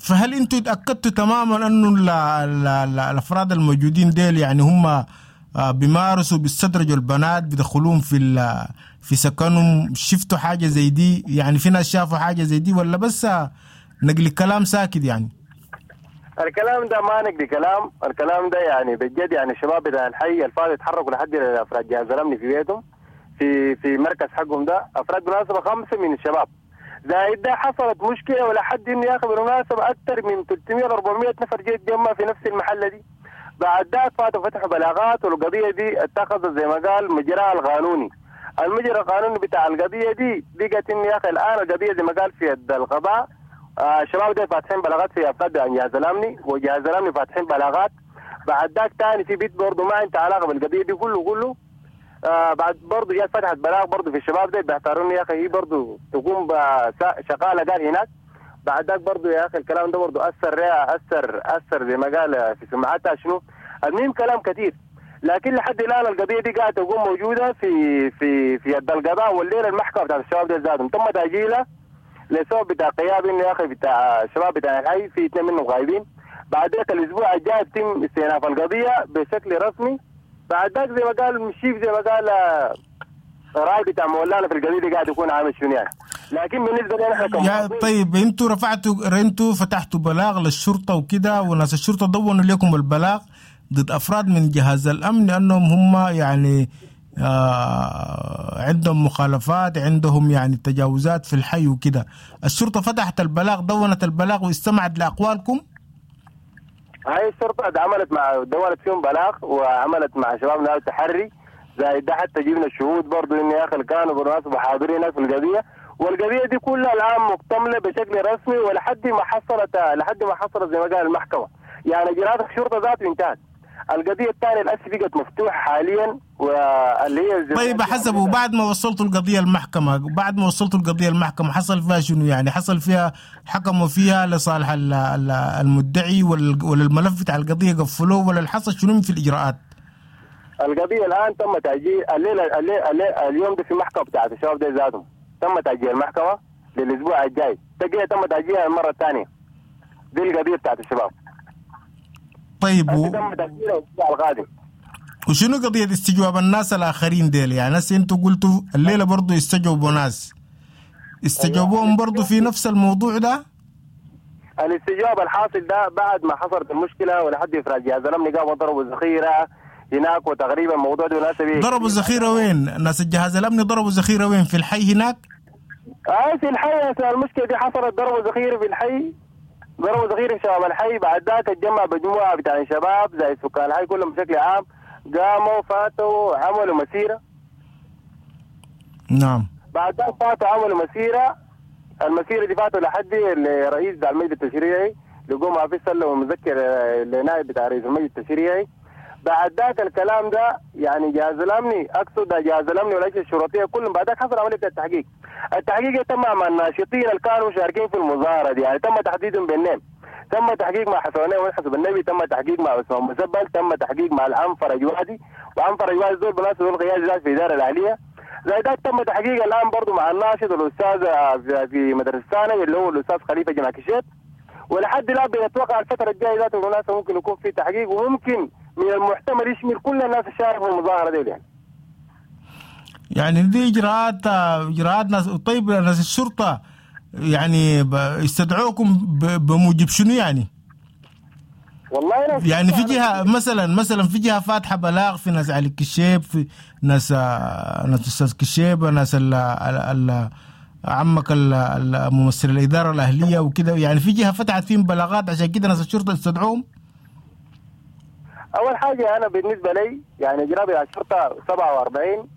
Speaker 13: فهل انتوا اتأكدتوا تماما انه ال ال ال الافراد الموجودين ديل يعني هم بيمارسوا بيستدرجوا البنات بيدخلوهم في في سكنهم؟ شفتوا حاجة زي دي؟ يعني في ناس شافوا حاجة زي دي ولا بس نقل كلام ساكت؟ يعني
Speaker 4: الكلام ده ما نقل كلام، الكلام ده يعني بجد يعني الشباب بتاع الحي الفاضي يتحركوا لحد افراد جهاز الامن في بيتهم في في مركز حقهم ده، افراد بالمناسبة خمسة من الشباب. زائد ده حصلت مشكلة ولا حد انه ياخذ بالمناسبة اكثر من ثلاثمية ل أربعمية نفر جاي يتجمع في نفس المحلة دي. بعد ذاك فاتوا فتحوا بلاغات، والقضية دي اتخذت زي ما قال مجراها القانوني. المجرى القانوني بتاع القضية دي بقت انه يا اخي الان القضية زي ما قال في يد القضاء. آه الشباب دي فاتحين بلاغات في افراد عن جهاز الامني، وجهاز الامني فاتحين بلاغات. بعد ذاك ثاني في بيت برضه ما عنده علاقة بالقضية دي كله كله. آه بعد برضه جات فتحت بلاغ برضه في الشباب دي بيعتبروني يا اخي هي برضه تقوم شغالة قال هناك. بعد ذاك برضه يا اخي الكلام ده برضه اثر اثر اثر زي ما قال في سمعتها شنو. المهم كلام كثير، لكن لحد الان القضية دي قاعدة تكون موجودة في في في يد القضاء. والليلة المحكمة بتاعت الشباب دي ذاتهم تم تاجيلها لسبب بتاع قياب انه يا اخي بتاع الشباب بتاع الحي في اثنين منهم غايبين. بعد ذاك الاسبوع الجاي يتم استئناف القضية بشكل رسمي. بعد ذاك زي ما قال مشيف زي ما قال راي بتاع مولانا في القضية دي قاعد يكون عامل شنو يعني. لكن بالنسبة لنا احنا
Speaker 13: يا طيب انتوا رفعتوا انتوا فتحتوا بلاغ للشرطة وكده، وناس الشرطة دونوا لكم البلاغ ضد افراد من جهاز الامن لانهم هم يعني آه عندهم مخالفات، عندهم يعني تجاوزات في الحي وكده. الشرطة فتحت البلاغ، دونت البلاغ واستمعت لاقوالكم.
Speaker 4: هاي الشرطة عملت مع دونت فيهم بلاغ وعملت مع شبابنا تحري زائد ده، حتى جبنا الشهود برضو إن يا أخي كانوا بالمناسبة حاضرين هناك في القضية. والقضية دي كلها الآن مكتملة بشكل رسمي ولحد ما حصلت لحد ما حصلت زي ما قال المحكمة، يعني إجراءات الشرطة ذاته انتهت. القضية الثانية الأس بقت مفتوحة حاليا واللي هي
Speaker 13: طيب حسب. وبعد ما وصلتوا القضية المحكمة، بعد ما وصلتوا القضية المحكمة حصل فيها شنو يعني؟ حصل فيها حكموا فيها لصالح المدعي ولا الملف بتاع القضية قفلوه ولا حصل شنو في الإجراءات؟
Speaker 4: القضية الآن تم تأجيل الليلة, الليلة اليوم ده في محكمة بتاعت الشباب ده ذاتهم تم تأجيل المحكمة للأسبوع الجاي، تجي تم تأجيلها المرة الثانية. دي القضية بتاعت الشباب.
Speaker 13: طيب و...
Speaker 4: تم تأجيلها الأسبوع القادم.
Speaker 13: وشنو قضية استجواب الناس الآخرين ديل؟ يعني ناس انتوا قلتوا الليلة برضو استجوبوا ناس، استجوبوهم برضو في نفس الموضوع ده؟
Speaker 4: الاستجواب الحاصل ده بعد ما حصلت المشكلة ولحد إفراج جهاز الأمن قاموا ضربوا ذخيرة هناك، وتقريبا الموضوع ده ناس
Speaker 13: ضربوا ذخيرة وين؟ ناس الجهاز الأمني ضربوا ذخيرة وين؟ في الحي هناك؟
Speaker 4: آه في الحي. المشكلة دي حصلت ضربوا ذخيرة في الحي، ضربوا ذخيرة في شباب الحي. بعد ذاك اتجمع مجموعة بتاع شباب زي سكان الحي كلهم بشكل عام، قاموا فاتوا عملوا مسيرة.
Speaker 13: نعم.
Speaker 4: بعد ذاك فاتوا عملوا مسيرة، المسيرة دي فاتوا لحد الرئيس بتاع المجلس التشريعي، لقوا ما في سلم ومذكر لنائب بتاع رئيس المجلس التشريعي. بعد ذاك الكلام ده يعني جهاز الامني، اقصد جهاز الامني والاجهزة الشرطية كلهم بعد ذاك حصل عملية التحقيق. التحقيق تم مع الناشطين اللي كانوا مشاركين في المظاهرة دي، يعني تم تحديدهم بالنام. تم تحقيق مع حسنين وحسب النبي، تم تحقيق مع عثمان مسبل، تم تحقيق مع العم فرج وادي، وعم فرج وادي دول بالناس دول قيادي ذات في الادارة الاهلية. زي ذاك تم تحقيق الان برضه مع الناشط الاستاذ في مدرسه ثانوي اللي هو الاستاذ خليفة جمع كشيت. ولحد الان بنتوقع الفترة الجاية ذات بالمناسبة ممكن يكون في تحقيق، وممكن من المحتمل يشمل كل الناس الشاركوا في المظاهرة دي. يعني
Speaker 13: يعني دي اجراءات اجراءات ناس. طيب ناس الشرطة يعني استدعوكم بموجب شنو يعني؟
Speaker 4: والله
Speaker 13: يعني في جهة مثلا مثلا في جهة فاتحة بلاغ في ناس علي كشيب، في ناس ناس استاذ كشيب، ناس ال ال عمك الممثل الادارة الاهلية وكده، يعني في جهة فتحت فيهم بلاغات عشان كده ناس الشرطة استدعوهم.
Speaker 4: اول حاجة انا بالنسبة لي يعني اجراء على الشرطة سبعة وأربعين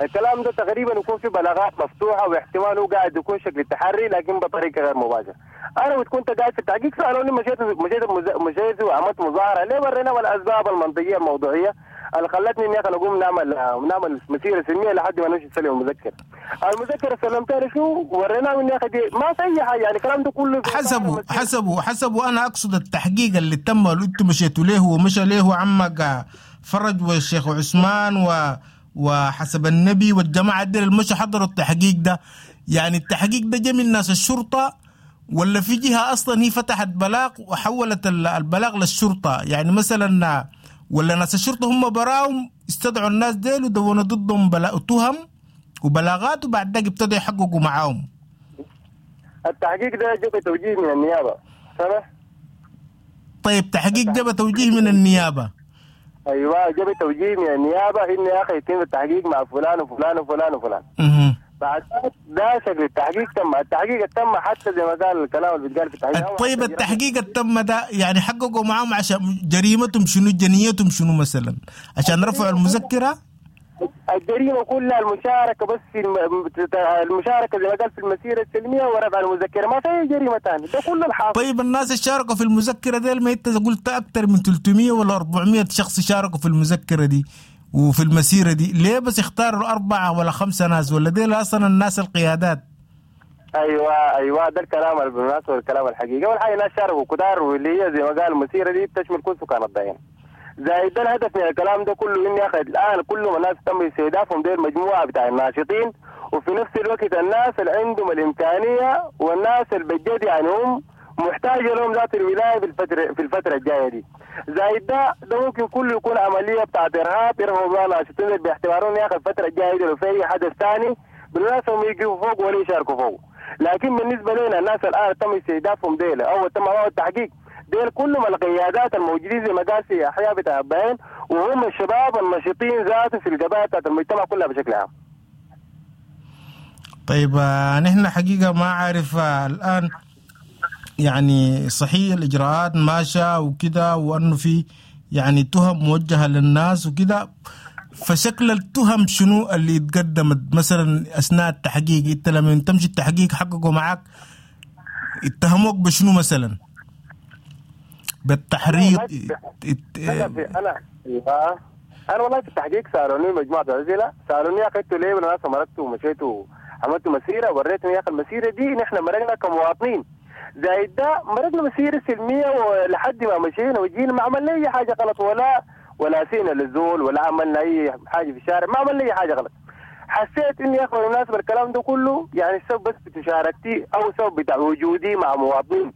Speaker 4: الكلام ده تقريبا يكون في بلاغات مفتوحة، واحتمال هو قاعد يكون شكل التحري لكن بطريقة غير مباشرة. انا كنت قاعد في التحقيق سالوني مشيت مشيت مشيت وعملت مظاهره ليه؟ ورينا الاسباب المنطقية الموضوعية اللي خلتني اني اقوم نعمل نعمل مسيره سلمية لحد ما نمشي نسلم المذكرة. المذكرة سلمتها شو ورينا اني اخي ما في اي حاجة، يعني الكلام ده كله
Speaker 13: حسبوا حسبوا حسبوا. انا اقصد التحقيق اللي تم اللي انتم مشيتوا له ومشى له عمك فرج والشيخ عثمان و وحسب النبي والجماعة دي اللي مشوا حضروا التحقيق ده، يعني التحقيق ده جه من ناس الشرطة ولا في جهة أصلا هي فتحت بلاغ وحولت البلاغ للشرطة؟ يعني مثلا ولا ناس الشرطة هم براهم استدعوا الناس ديل ودونوا ضدهم بلاغ تهم وبلاغات وبعد ذلك ابتدوا يحققوا معاهم؟
Speaker 4: التحقيق ده جه بتوجيه من النيابة. سمح؟
Speaker 13: طيب تحقيق جه بتوجيه من النيابة.
Speaker 4: ايوه جاب توجيه من النيابة ان يا اخي يتم التحقيق مع فلان وفلان وفلان وفلان. بعد ده شكل التحقيق تم، التحقيق تم حتى زي ما قال الكلام اللي بيتقال في التحقيق.
Speaker 13: طيب التحقيق التم ده يعني حققوا معاهم عشان جريمتهم شنو، جنيتهم شنو مثلا، عشان رفعوا المذكرة؟
Speaker 4: الجريمة كلها المشاركة بس في الم... المشاركة زي ما قال في المسيرة السلمية ورفع المذكرة، ما في اي جريمة ثانية، ده كل الحاصل.
Speaker 13: طيب الناس اللي شاركوا في المذكرة دي، ما انت قلت اكثر من ثلاثمية ولا أربعمية شخص شاركوا في المذكرة دي وفي المسيرة دي، ليه بس اختاروا اربعة ولا خمسة ناس، ولا دي اصلا الناس القيادات؟
Speaker 4: ايوه ايوه ده الكلام بالمناسبة، الكلام الحقيقي. اول حاجة الناس شاركوا كتار، واللي هي زي ما قال المسيرة دي بتشمل كل سكان الضعين. زائد ده الهدف من الكلام ده كله اني اخذ الان كل ما الناس تم استهدافهم ديل مجموعة بتاع الناشطين، وفي نفس الوقت الناس اللي عندهم الامكانية والناس اللي بجد يعني هم محتاجه لهم ذات الولاية في الفترة في الفترة الجاية دي. زائد ده ده ممكن كله يكون عملية بتاعت ارهاب، يرهبوا بها ناشطين باعتبارهم يا اخي الفترة الجاية دي لو في اي حدث ثاني بالمناسبة هم يقفوا فوق ولا يشاركوا فوق. لكن بالنسبة لنا الناس الان تم استهدافهم ديل او تم معهم التحقيق ديل كلهم القيادات الموجودين زي ما قال في احياء بتاع الضعين، وهم الشباب النشيطين ذاته في القضايا بتاعت المجتمع كلها بشكل عام.
Speaker 13: طيب نحن حقيقة ما عارف الان يعني صحيح الاجراءات ماشية وكده، وانه في يعني تهم موجهة للناس وكده، فشكل التهم شنو اللي اتقدمت مثلا اثناء التحقيق؟ انت لما تمشي التحقيق حققوا معك اتهموك بشنو مثلا؟ بالتحريض؟
Speaker 4: انا في انا انا والله في التحقيق سالوني مجموعة اسئلة، سالوني يا اخي انتوا ليه الناس مرقتوا ومشيتوا عملتوا مسيره؟ وريتهم يا اخي المسيرة دي نحن مرقنا كمواطنين، زائد ده مرقنا مسيره سلمية ولحد ما مشينا وجينا ما عملنا اي حاجة غلط، ولا ولا سينا للزول ولا عملنا اي حاجة في الشارع، ما عملنا اي حاجة غلط. حسيت اني يا اخي بالمناسبة الكلام ده كله يعني السبب بس بمشاركتي او سبب بتاع وجودي مع مواطنين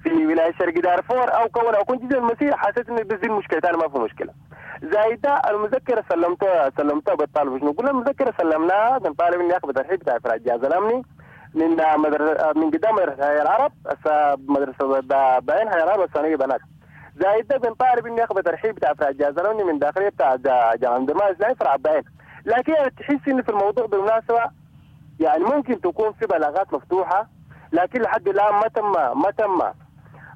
Speaker 4: في ولاية شرق دارفور او كون او كنت جزء المسيرة، حسيت انه بس دي المشكلة ثاني ما في مشكلة. زائد ده المذكرة سلمتها سلمتها بالطالب شنو؟ قلنا المذكرة سلمناها بنطالب اني اخذ ترحيب بتاع افراد الجهاز الامني من مدرسه من قدام مدرسه حي العرب، مدرسه بعين حي العرب الثانوية بنات. زائد ده بنطالب اني اخذ ترحيب بتاع افراد الجهاز الامني من داخلية بتاع جامعه درمان الاسلامي فرع بعين. لكن تحس انه في الموضوع بالمناسبة يعني ممكن تكون في بلاغات مفتوحة، لكن لحد الان ما تم ما تم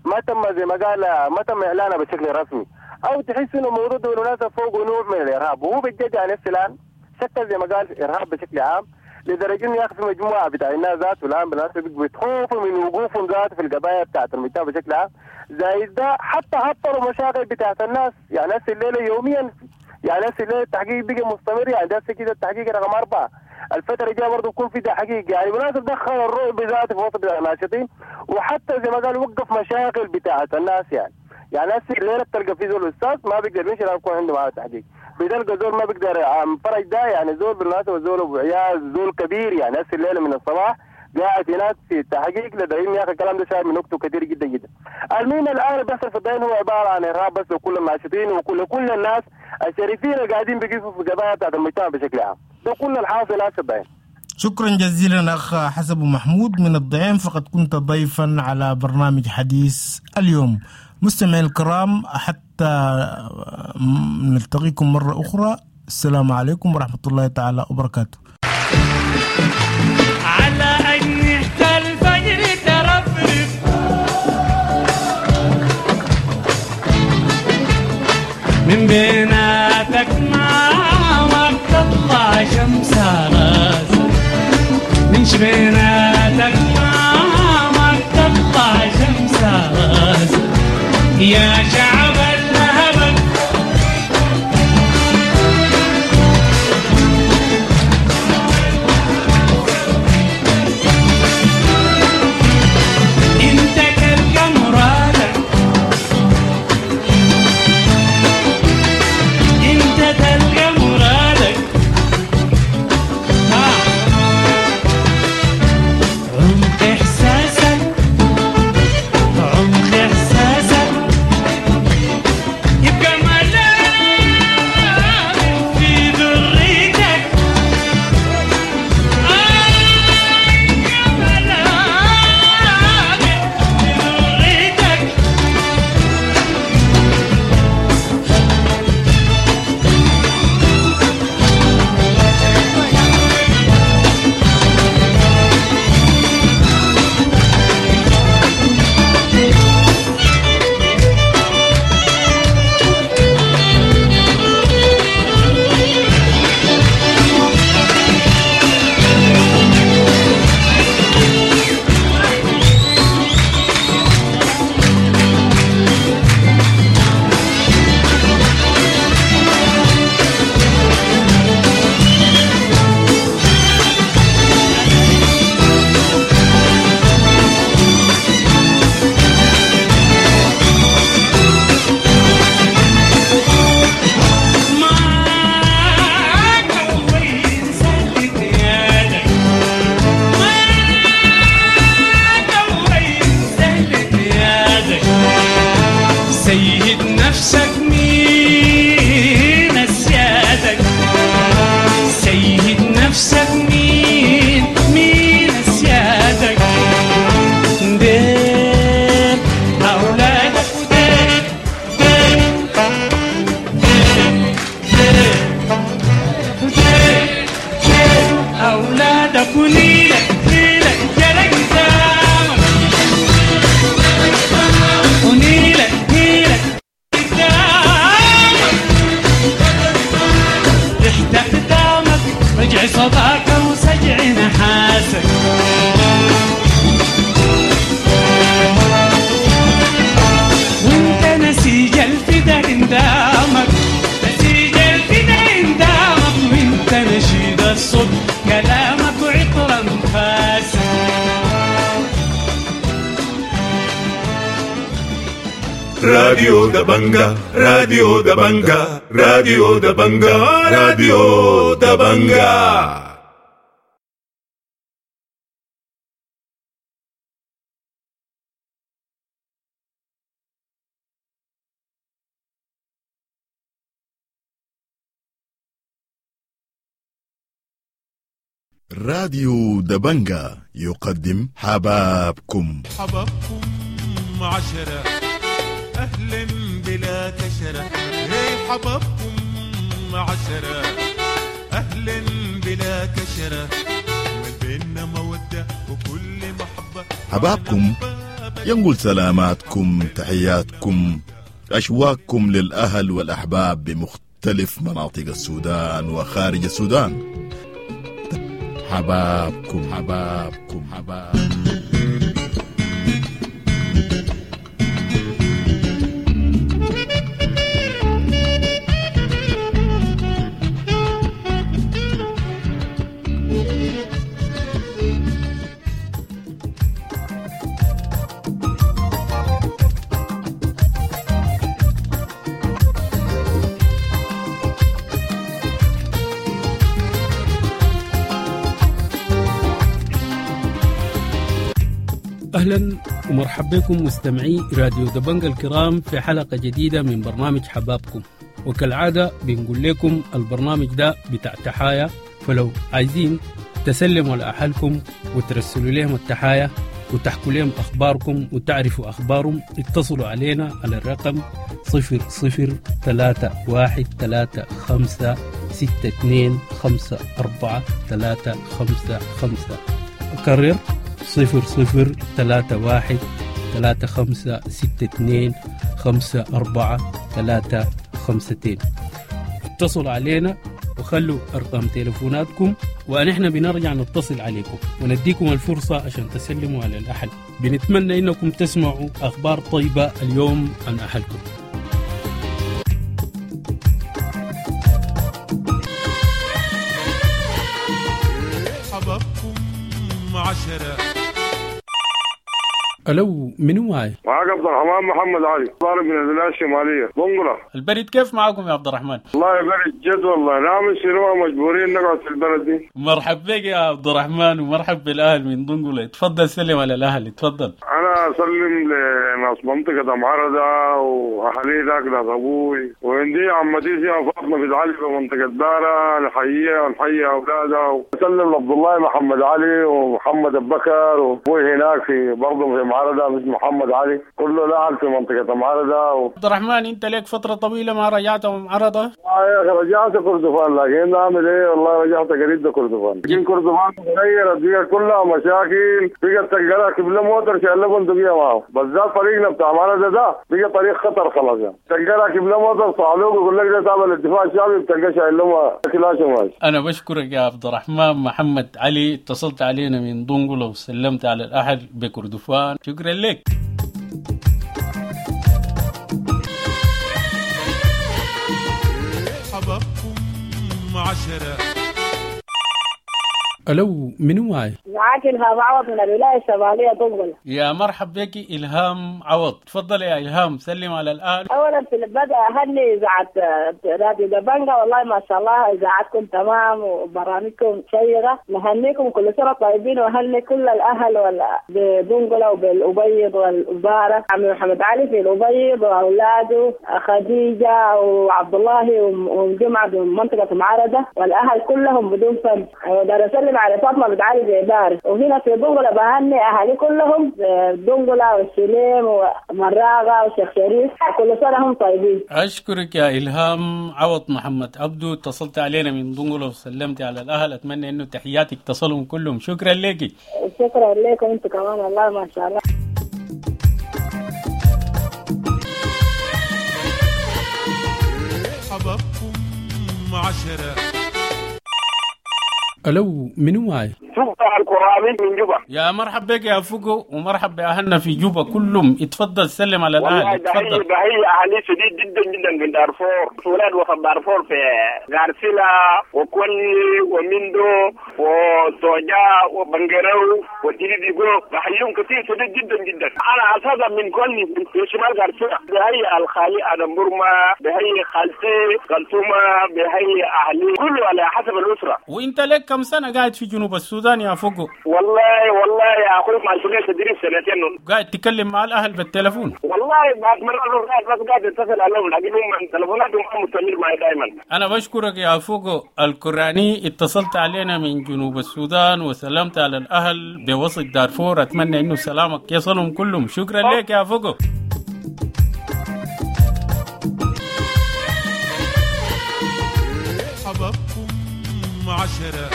Speaker 4: ما تم زي ما قال ما تم اعلانها بشكل رسمي، او تحس انه الموضوع ده بالمناسبة فوق نوع من الارهاب، وهو بجد يعني الان شكل زي ما قال ارهاب بشكل عام، لدرجة انه يا اخي في مجموعة بتاع الناس ذاته الان بالمناسبة بيتخوفوا من وقوفهم ذاته في القضايا بتاعت المجتمع بشكل عام. زائد ده حتى هطلوا مشاغل بتاعت الناس، يعني هسه الليلة يوميا يعني هسه الليلة التحقيق بقى مستمر، يعني هسه كده التحقيق رقم اربعة، الفترة الجاية برضه يكون في تحقيق، يعني بالمناسبة دخل الرعب ذاته في وسط الناشطين، وحتى زي ما قال وقف مشاغل بتاعت الناس. يعني يعني هسه الليلة بتلقى في زول استاذ ما بيقدر يمشي لازم يكون عنده معاه تحقيق، بتلقى زول ما بيقدر عم فرج ده يعني زول بالمناسبة زول ابو عيال زول كبير، يعني هسه الليلة من الصباح قاعد هناك في التحقيق لدعيم يا اخي الكلام ده شايل من وقته كثير جدا جدا. المهم الان اللي بيحصل في الضعين هو عبارة عن ارهاب بس لكل الناشطين وكل كل الناس الشريفين اللي قاعدين بيقفوا في قضايا بتاعت المجتمع بشكل عام، ده كل الحاصل هسه الضعين.
Speaker 13: شكرا جزيلا أخ حسب محمود من الضعين، فقد كنت ضيفا على برنامج حديث اليوم. مستمعي الكرام، حتى نلتقيكم مرة أخرى، السلام عليكم ورحمة الله تعالى وبركاته.
Speaker 14: على أجنحة الفجر ترفرف من بيناتك ما تطلع شمس راسك، من شبيناتك ما تطلع شمس راسك يا شعب الهبل. انت تلقى مرادك، انت تلقى مرادك، ها عمق احساسك، عمق احساسك
Speaker 1: راديو دبنجا، راديو دبنجا، راديو دبنجا، راديو دبنجا.
Speaker 15: راديو دبنجا يقدم حبابكم.
Speaker 1: حبابكم عشرة أهلا بلا كشرة، هي حبابكم عشرة أهلا بلا كشرة، من بيننا مودة وكل محبة.
Speaker 15: حبابكم ينقل سلاماتكم، تحياتكم، أشواقكم للأهل والأحباب بمختلف مناطق السودان وخارج السودان. حبابكم حبابكم حبابكم.
Speaker 10: أهلا ومرحبا بكم مستمعي راديو دبنجا الكرام في حلقة جديدة من برنامج حبابكم. وكالعادة بنقول لكم البرنامج ده بتاع تحايا، فلو عايزين تسلموا لأهلكم وترسلوا لهم التحايا وتحكوا لهم أخباركم وتعرفوا أخبارهم، اتصلوا علينا على الرقم صفر صفر ثلاثة واحد ثلاثة خمسة ستة اثنين خمسة أربعة ثلاثة خمسة خمسة. أكرر صفر صفر ثلاثة واحد ثلاثة خمسة ستة اثنين خمسة أربعة ثلاثة خمستين. اتصلوا علينا وخلوا أرقام تليفوناتكم ونحن بنرجع نتصل عليكم ونديكم الفرصة عشان تسلموا على الأهل. بنتمنى إنكم تسمعوا أخبار طيبة اليوم عن أهلكم.
Speaker 1: حبابكم عشرة.
Speaker 10: ألو، منو معي؟
Speaker 16: معاك عبد الرحمن محمد علي، طالب من الولاية الشمالية، دنقلة.
Speaker 10: البرد كيف معاكم يا عبد الرحمن؟
Speaker 16: والله برد جد والله، نعمل شنو، مجبورين نقعد في البلد دي.
Speaker 10: مرحب بك يا عبد الرحمن ومرحب بالأهل من دنقلة، تفضل سلم على الأهل، تفضل.
Speaker 16: أنا أسلم لناس منطقة معرضة وأهلي ذاك ناس أبوي، وعندي عمتي فيها فاطمة بنت علي في منطقة بارة، نحييها ونحيي أولادها، وأسلم لعبد الله محمد علي ومحمد أبو بكر وأبوي هناك في برضه في معرضة مثل محمد علي، كله لاعب في منطقة معرضة و...
Speaker 10: عبد الرحمن، انت لك فترة طويلة ما رجعت معرضة؟
Speaker 16: آه يا اخي رجعت كردفان، لكن نعمل ايه والله رجعت قريب كردفان، لكن كردفان تغيرت بقى كلها مشاكل، بقى تلقى راكب له موتر شايل له بندقية معه، بالذات طريقنا بتاع معرضة ده بقى طريق خطر خلاص يعني، تلقى راكب له موتر صعلوق يقول لك ده تابع للدفاع الشعبي، بتلقى شايل له كلاش وماشي.
Speaker 10: انا بشكرك يا عبد الرحمن محمد علي، اتصلت علينا من دنقلة وسلمت على الاهل بكردفان، شكرا لك.
Speaker 1: حبابكم عشرة.
Speaker 10: ألو، منو معي؟
Speaker 17: معاك إلهام عوض من الولاية الشمالية دنقلة.
Speaker 10: يا مرحب بك إلهام عوض، تفضل يا إلهام سلم على الآن.
Speaker 17: أولا في البدء أهني إذاعة راديو دبنجا، والله ما شاء الله إذاعتكم تمام وبرامجكم شيقة، نهنيكم كل سنة طيبين، وأهني كل الأهل بدنقلة وبالأبيض والبارة، عمي محمد علي في الأبيض وأولاده خديجة وعبد الله وجمعة بمنطقة معرضة والأهل كلهم بدون فرق. ودار على فاطمة بنت علي زيبار، وهنا في دنقلة بهني أهالي كلهم دنقلة والسليم ومراغة وشيخ شريف، كل سنة هم طيبين.
Speaker 10: أشكرك يا إلهام عوض محمد عبدو، اتصلت علينا من دنقلة وسلمت على الأهل، أتمنى إنه تحياتك تصلهم كلهم، شكرا لك.
Speaker 17: شكرا لكم أنتم كمان، والله ما شاء الله.
Speaker 1: حبابكم عشرة.
Speaker 10: ألو، منو معي؟
Speaker 18: شوف
Speaker 3: الكرامي من جوبا.
Speaker 10: يا مرحب بك يا فوقو، ومرحب باهلنا في جوبا كلهم. اتفضل سلم على الاهل.
Speaker 3: والله
Speaker 10: اتفضل.
Speaker 3: بحيي اهلي شديد جدا جدا من دارفور، ولاد وسط دارفور في غارسيلا وكوني وميندو وسوجا وبنجرو وتيريديغو، بحييهم كثير شديد جدا جدا. انا اساسا من كوني في شمال غارسيلا. بحيي الخالي ادم برما، بحيي خالتي خلتومه، بحيي اهلي كله على حسب الاسره.
Speaker 10: وانت لك كم سنه قاعد في جنوب السودان يا فوقو؟
Speaker 3: والله والله يا اخوي ما شغلت تدريب سنتين.
Speaker 10: قاعد تتكلم مع الاهل بالتلفون؟
Speaker 3: والله بعد مرة بس قاعد اتصل عليهم، لكن هم تلفوناتهم ما مستمر معي دائما.
Speaker 10: انا بشكرك يا فوقو الكراني، اتصلت علينا من جنوب السودان وسلمت على الاهل بوسط دارفور. اتمنى انه سلامك يصلهم كلهم. شكرا لك يا فوقو.
Speaker 1: حبابكم عشرة.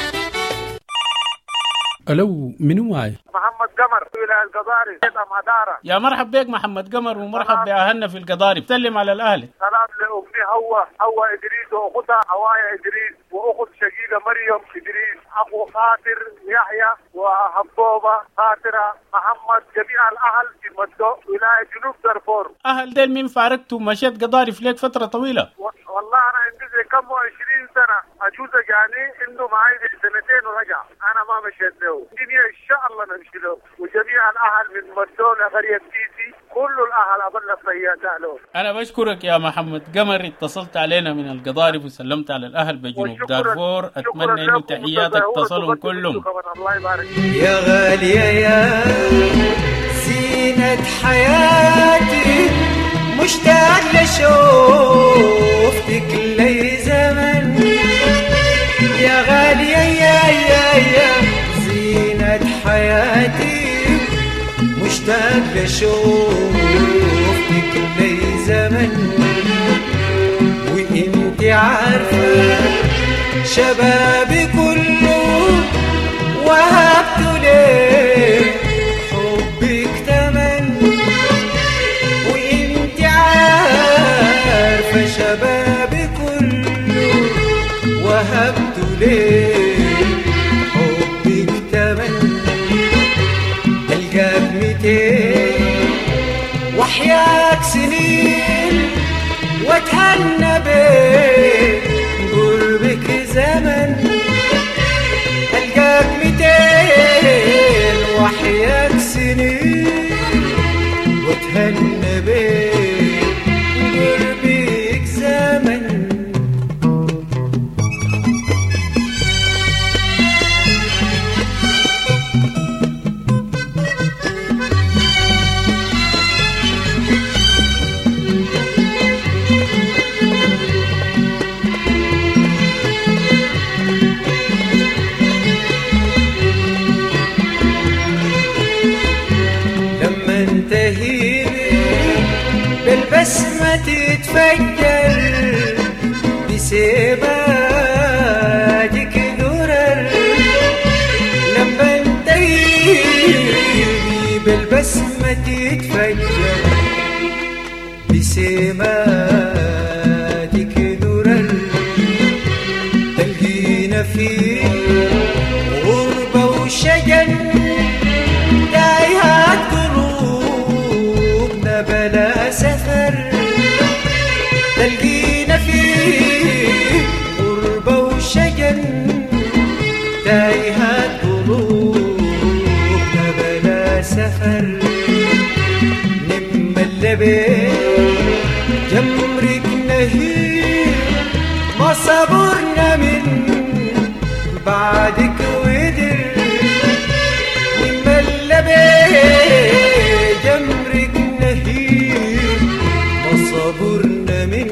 Speaker 10: الو، منو معي؟
Speaker 18: محمد قمر ولاية القضارف مدارة.
Speaker 10: يا مرحب بك محمد قمر، ومرحب باهلنا في القضارف. سلم على الاهل.
Speaker 18: سلام لامي هو هو ادريس واختها هوايا ادريس واخت شقيقه مريم ادريس، اخو خاطر يحيى وحبوبه خاطره محمد، جميع الاهل في مدو ولايه جنوب دارفور.
Speaker 10: اهل ديل مين فارقتوا مشيت قضارف لك فتره طويله؟
Speaker 18: و... والله انا عندي زي كم وعشرين سنه، اجوزه جاني انه معي سنتين ورجع، انا ما مشيت له. الدنيا ان شاء الله نمشي له، وجميع الاهل من مدو لقريه تيسي كل الاهل ابلغ تحيات اهله.
Speaker 10: انا بشكرك يا محمد قمر، اتصلت علينا من القضارف وسلمت على الاهل بجنوب دارفور. اتمنى انه تحياتك تصلهم كلهم.
Speaker 18: الله يبارك.
Speaker 19: يا غالية يا زينة حياتي، مشتاق لشوفتك لي زمن. يا غالية يا يا يا زينة حياتي، مشتاق لشوفتك لي زمن. وانت عارفة شبابي كله وهبت ليه حبك تمن. وانت عارفة شبابي كله وهبت ليه حبك تمن. ألقاك ميتين وحياك سنين واتهنى بيه قربك زمن. ألقاك ميتين وحياك سنين واتهنى بيه قربك زمن. بالبسمة تتفجر بسباتك درر. لما انتهي بالبسمة تتفجر بسماتك درر. تلقينا في غربة وشجن تايهات قلوبنا بلا سفر. تلقينا في غربة وشجن تايهات قلوبنا بلا سفر. نم اللبين جمرك نهيب ما صبرنا من بعدك ودر. نم اللبين جمرك نهيب ما صبرنا من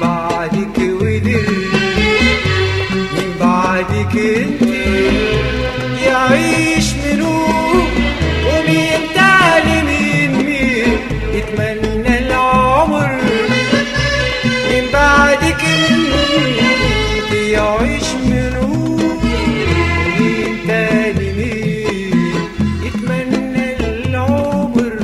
Speaker 19: بعدك ودر. من بعدك انت يعيش منو ومين تعالي مين مين يتمنى العمر. من بعدك انت يعيش منو ومين تاني مين يتمنى العمر.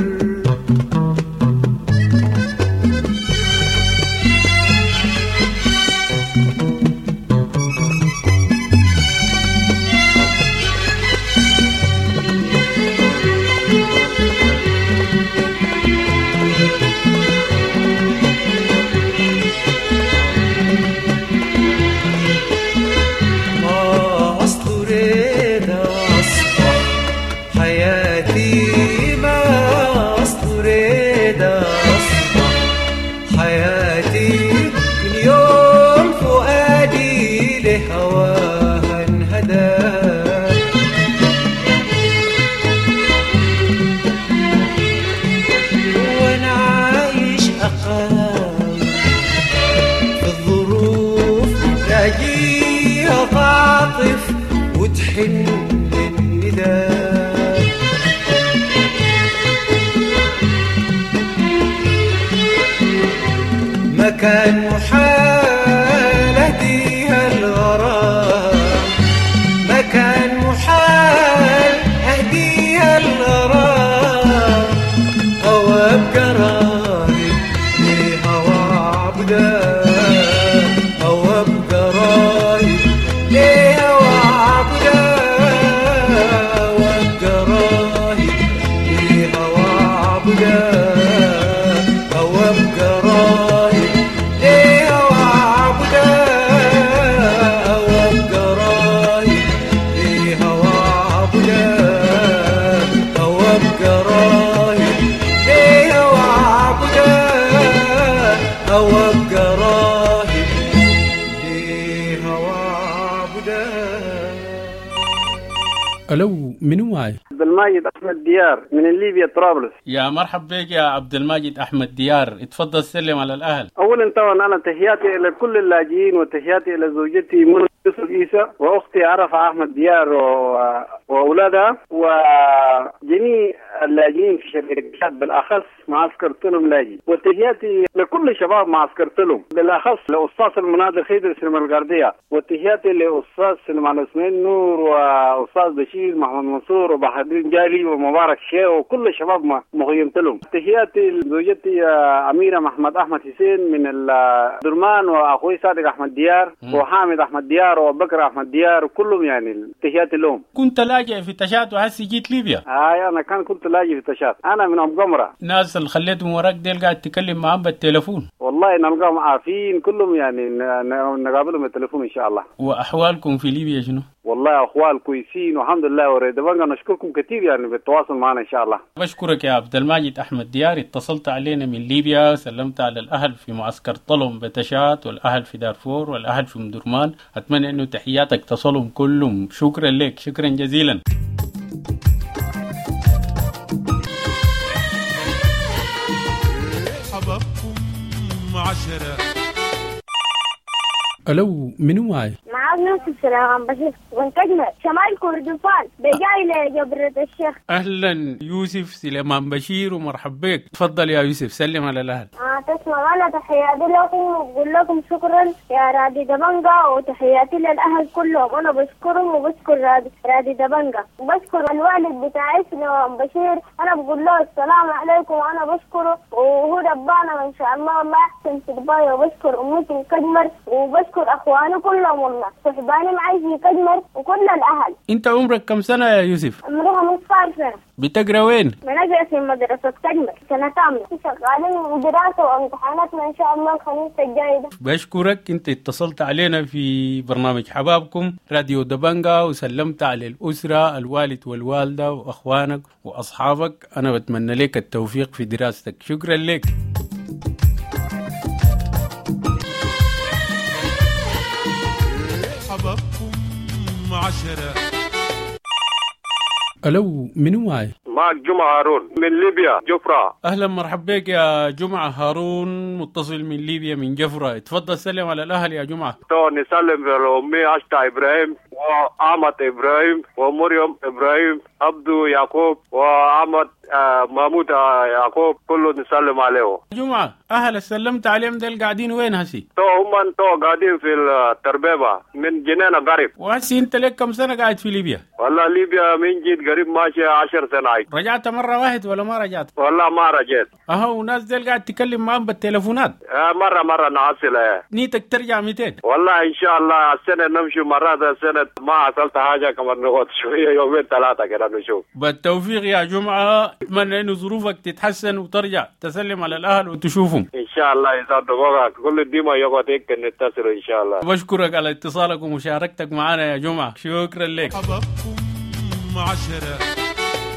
Speaker 19: تعطف وتحن للنداء. مكان محال أهديها الغرام، مكان محال أهديها الغرام، أو أبقى راهب لهوى عبدا، أو أبقى راهب لهوى عبدا، أو أبقى راهب لهوى عبدا، أو أبقى راهب لهوى عبدا، أو أبقى راهب لهوى عبدا، أو أبقى راهب لهوى عبدا، أو أبقى راهب لهوى عبدا.
Speaker 10: ألو، منو معي؟
Speaker 20: عبد الماجد أحمد ديار من ليبيا طرابلس.
Speaker 10: يا مرحب بك يا عبد الماجد أحمد ديار، اتفضل سلم على الأهل.
Speaker 20: أولا طبعا أنا تحياتي إلى كل اللاجئين، وتحياتي إلى زوجتي منى يوسف عيسى، وأختي عرفة أحمد ديار و- وأولادها، وجميع اللاجئين في شركات بالأخص معسكر تلم لاجئ، وتحياتي لكل شباب معسكر تلم بالأخص لأستاذ المناضل خيدر سليمان الغردية، وتحياتي لأستاذ سليمان عثمان نور، وأستاذ بشير محمد منصور، وبحر جالي، ومبارك شيخ، وكل شباب مخيم تلم. تحياتي لزوجتي أميرة محمد أحمد حسين من الدرمان، وأخوي صادق أحمد ديار، وحامد أحمد ديار، وبكر أحمد ديار، وكلهم يعني تحياتي لهم.
Speaker 10: كنت لاجئ في تشاد وهسي جيت ليبيا.
Speaker 20: هاي أنا كان كنت لاجئ في تشاد، أنا من أم قمرة.
Speaker 10: ناس اللي خليتهم وراك ديل قاعد تكلم معاهم بالتليفون؟
Speaker 20: والله نلقاهم عافين كلهم يعني، نقابلهم بالتليفون إن شاء الله.
Speaker 10: وأحوالكم في ليبيا شنو؟
Speaker 20: والله أخوال كويسين والحمد لله، وريدبنجا نشكركم كثير يعني بالتواصل معنا إن شاء الله.
Speaker 10: بشكرك يا عبد الماجد أحمد ديار، اتصلت علينا من ليبيا، سلمت على الأهل في معسكر طلم بتشات، والأهل في دارفور، والأهل في مدرمان. أتمنى أنه تحياتك تصلهم كلهم. شكرا لك، شكرا جزيلا.
Speaker 1: حبابكم عشرة.
Speaker 10: ألو، منو معي؟
Speaker 21: معاك يوسف سلام بشير من كجمة شمال كردفان بجاي لجبرة الشيخ.
Speaker 10: أهلا يوسف سليمان بشير ومرحب بك، تفضل يا يوسف سلم على الأهل.
Speaker 21: آه تسلم، أنا تحياتي لكم وبقول لكم شكرا يا رادي دبنجا، وتحياتي للأهل كلهم، أنا بشكرهم وبشكر رادي, رادي دبنجا، وبشكر الوالد بتاعي سليمان بشير، أنا بقول له السلام عليكم وأنا بشكره وهو ربانا إن شاء الله الله يحسن تربايه، وبشكر أمي في كجمر، وبشكر أخواني كلهم والله صحباني معي في كجمر وكل الأهل.
Speaker 10: أنت عمرك كم سنة يا يوسف؟
Speaker 21: عمري خمسة عشر سنة.
Speaker 10: بتقرا وين؟
Speaker 21: بنقرا في مدرسة كجمر سنة ثامنة، شغالين دراسة وامتحاناتنا إن شاء الله الخميس الجاي ده.
Speaker 10: بشكرك، أنت اتصلت علينا في برنامج حبابكم راديو دبنجا وسلمت على الأسرة، الوالد والوالدة وأخوانك وأصحابك. أنا بتمنى لك التوفيق في دراستك، شكرا لك.
Speaker 1: حبابكم عشرة.
Speaker 10: ألو، منو معي؟
Speaker 16: معك جمعة هارون من ليبيا جفرة.
Speaker 10: أهلا مرحب بك يا جمعة هارون، متصل من ليبيا من جفرة. تفضل سلم على الأهل يا جمعة.
Speaker 16: تو نسلم على أمي عشتا إبراهيم، وأحمد إبراهيم، ومريم إبراهيم، عبدو يعقوب، وأحمد آه محمود يعقوب، كله نسلم عليه.
Speaker 10: جمعة أهل سلمت عليهم ديل قاعدين وين هسي؟
Speaker 16: تو هم تو قاعدين في التربيبة من جنينة قريب.
Speaker 10: وهسي أنت لك كم سنة قاعد في ليبيا؟
Speaker 16: والله ليبيا من جيت قريب ماشي عشر سنة.
Speaker 10: رجعت مرة واحد ولا ما رجعت؟
Speaker 16: والله ما رجعت.
Speaker 10: أهو وناس ديل قاعد تكلم معهم بالتليفونات.
Speaker 16: آه مرة مرة نعسل.
Speaker 10: نيتك ترجع مئتين؟
Speaker 16: والله إن شاء الله السنة نمشي مرات، السنة ما حصلت حاجة كمان نقعد شوية يومين ثلاثة كده نشوف.
Speaker 10: بالتوفيق يا جمعة، أتمنى إنه ظروفك تتحسن وترجع تسلم على الأهل وتشوفهم.
Speaker 16: إن شاء الله إذا دقوقك كل ديما يقعد هيك نتصل إن شاء الله.
Speaker 10: بشكرك على اتصالك ومشاركتك معنا يا جمعة، شكرا لك.
Speaker 1: حبابكم عشرة.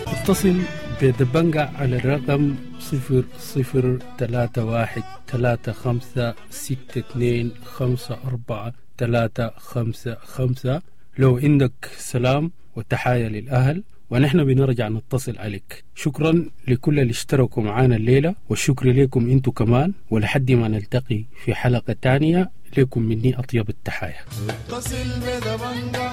Speaker 10: اتصل بدبنجا على الرقم صفر صفر ثلاثة واحد ثلاثة خمسة ستة اثنين خمسة أربعة ثلاثة خمسة خمسة لو عندك سلام وتحايا للأهل ونحن بنرجع نتصل عليك. شكرا لكل اللي اشتركوا معانا الليلة، والشكر لكم انتو كمان، ولحد ما نلتقي في حلقة تانية لكم مني أطيب التحايا.
Speaker 5: اتصل بدبنجة.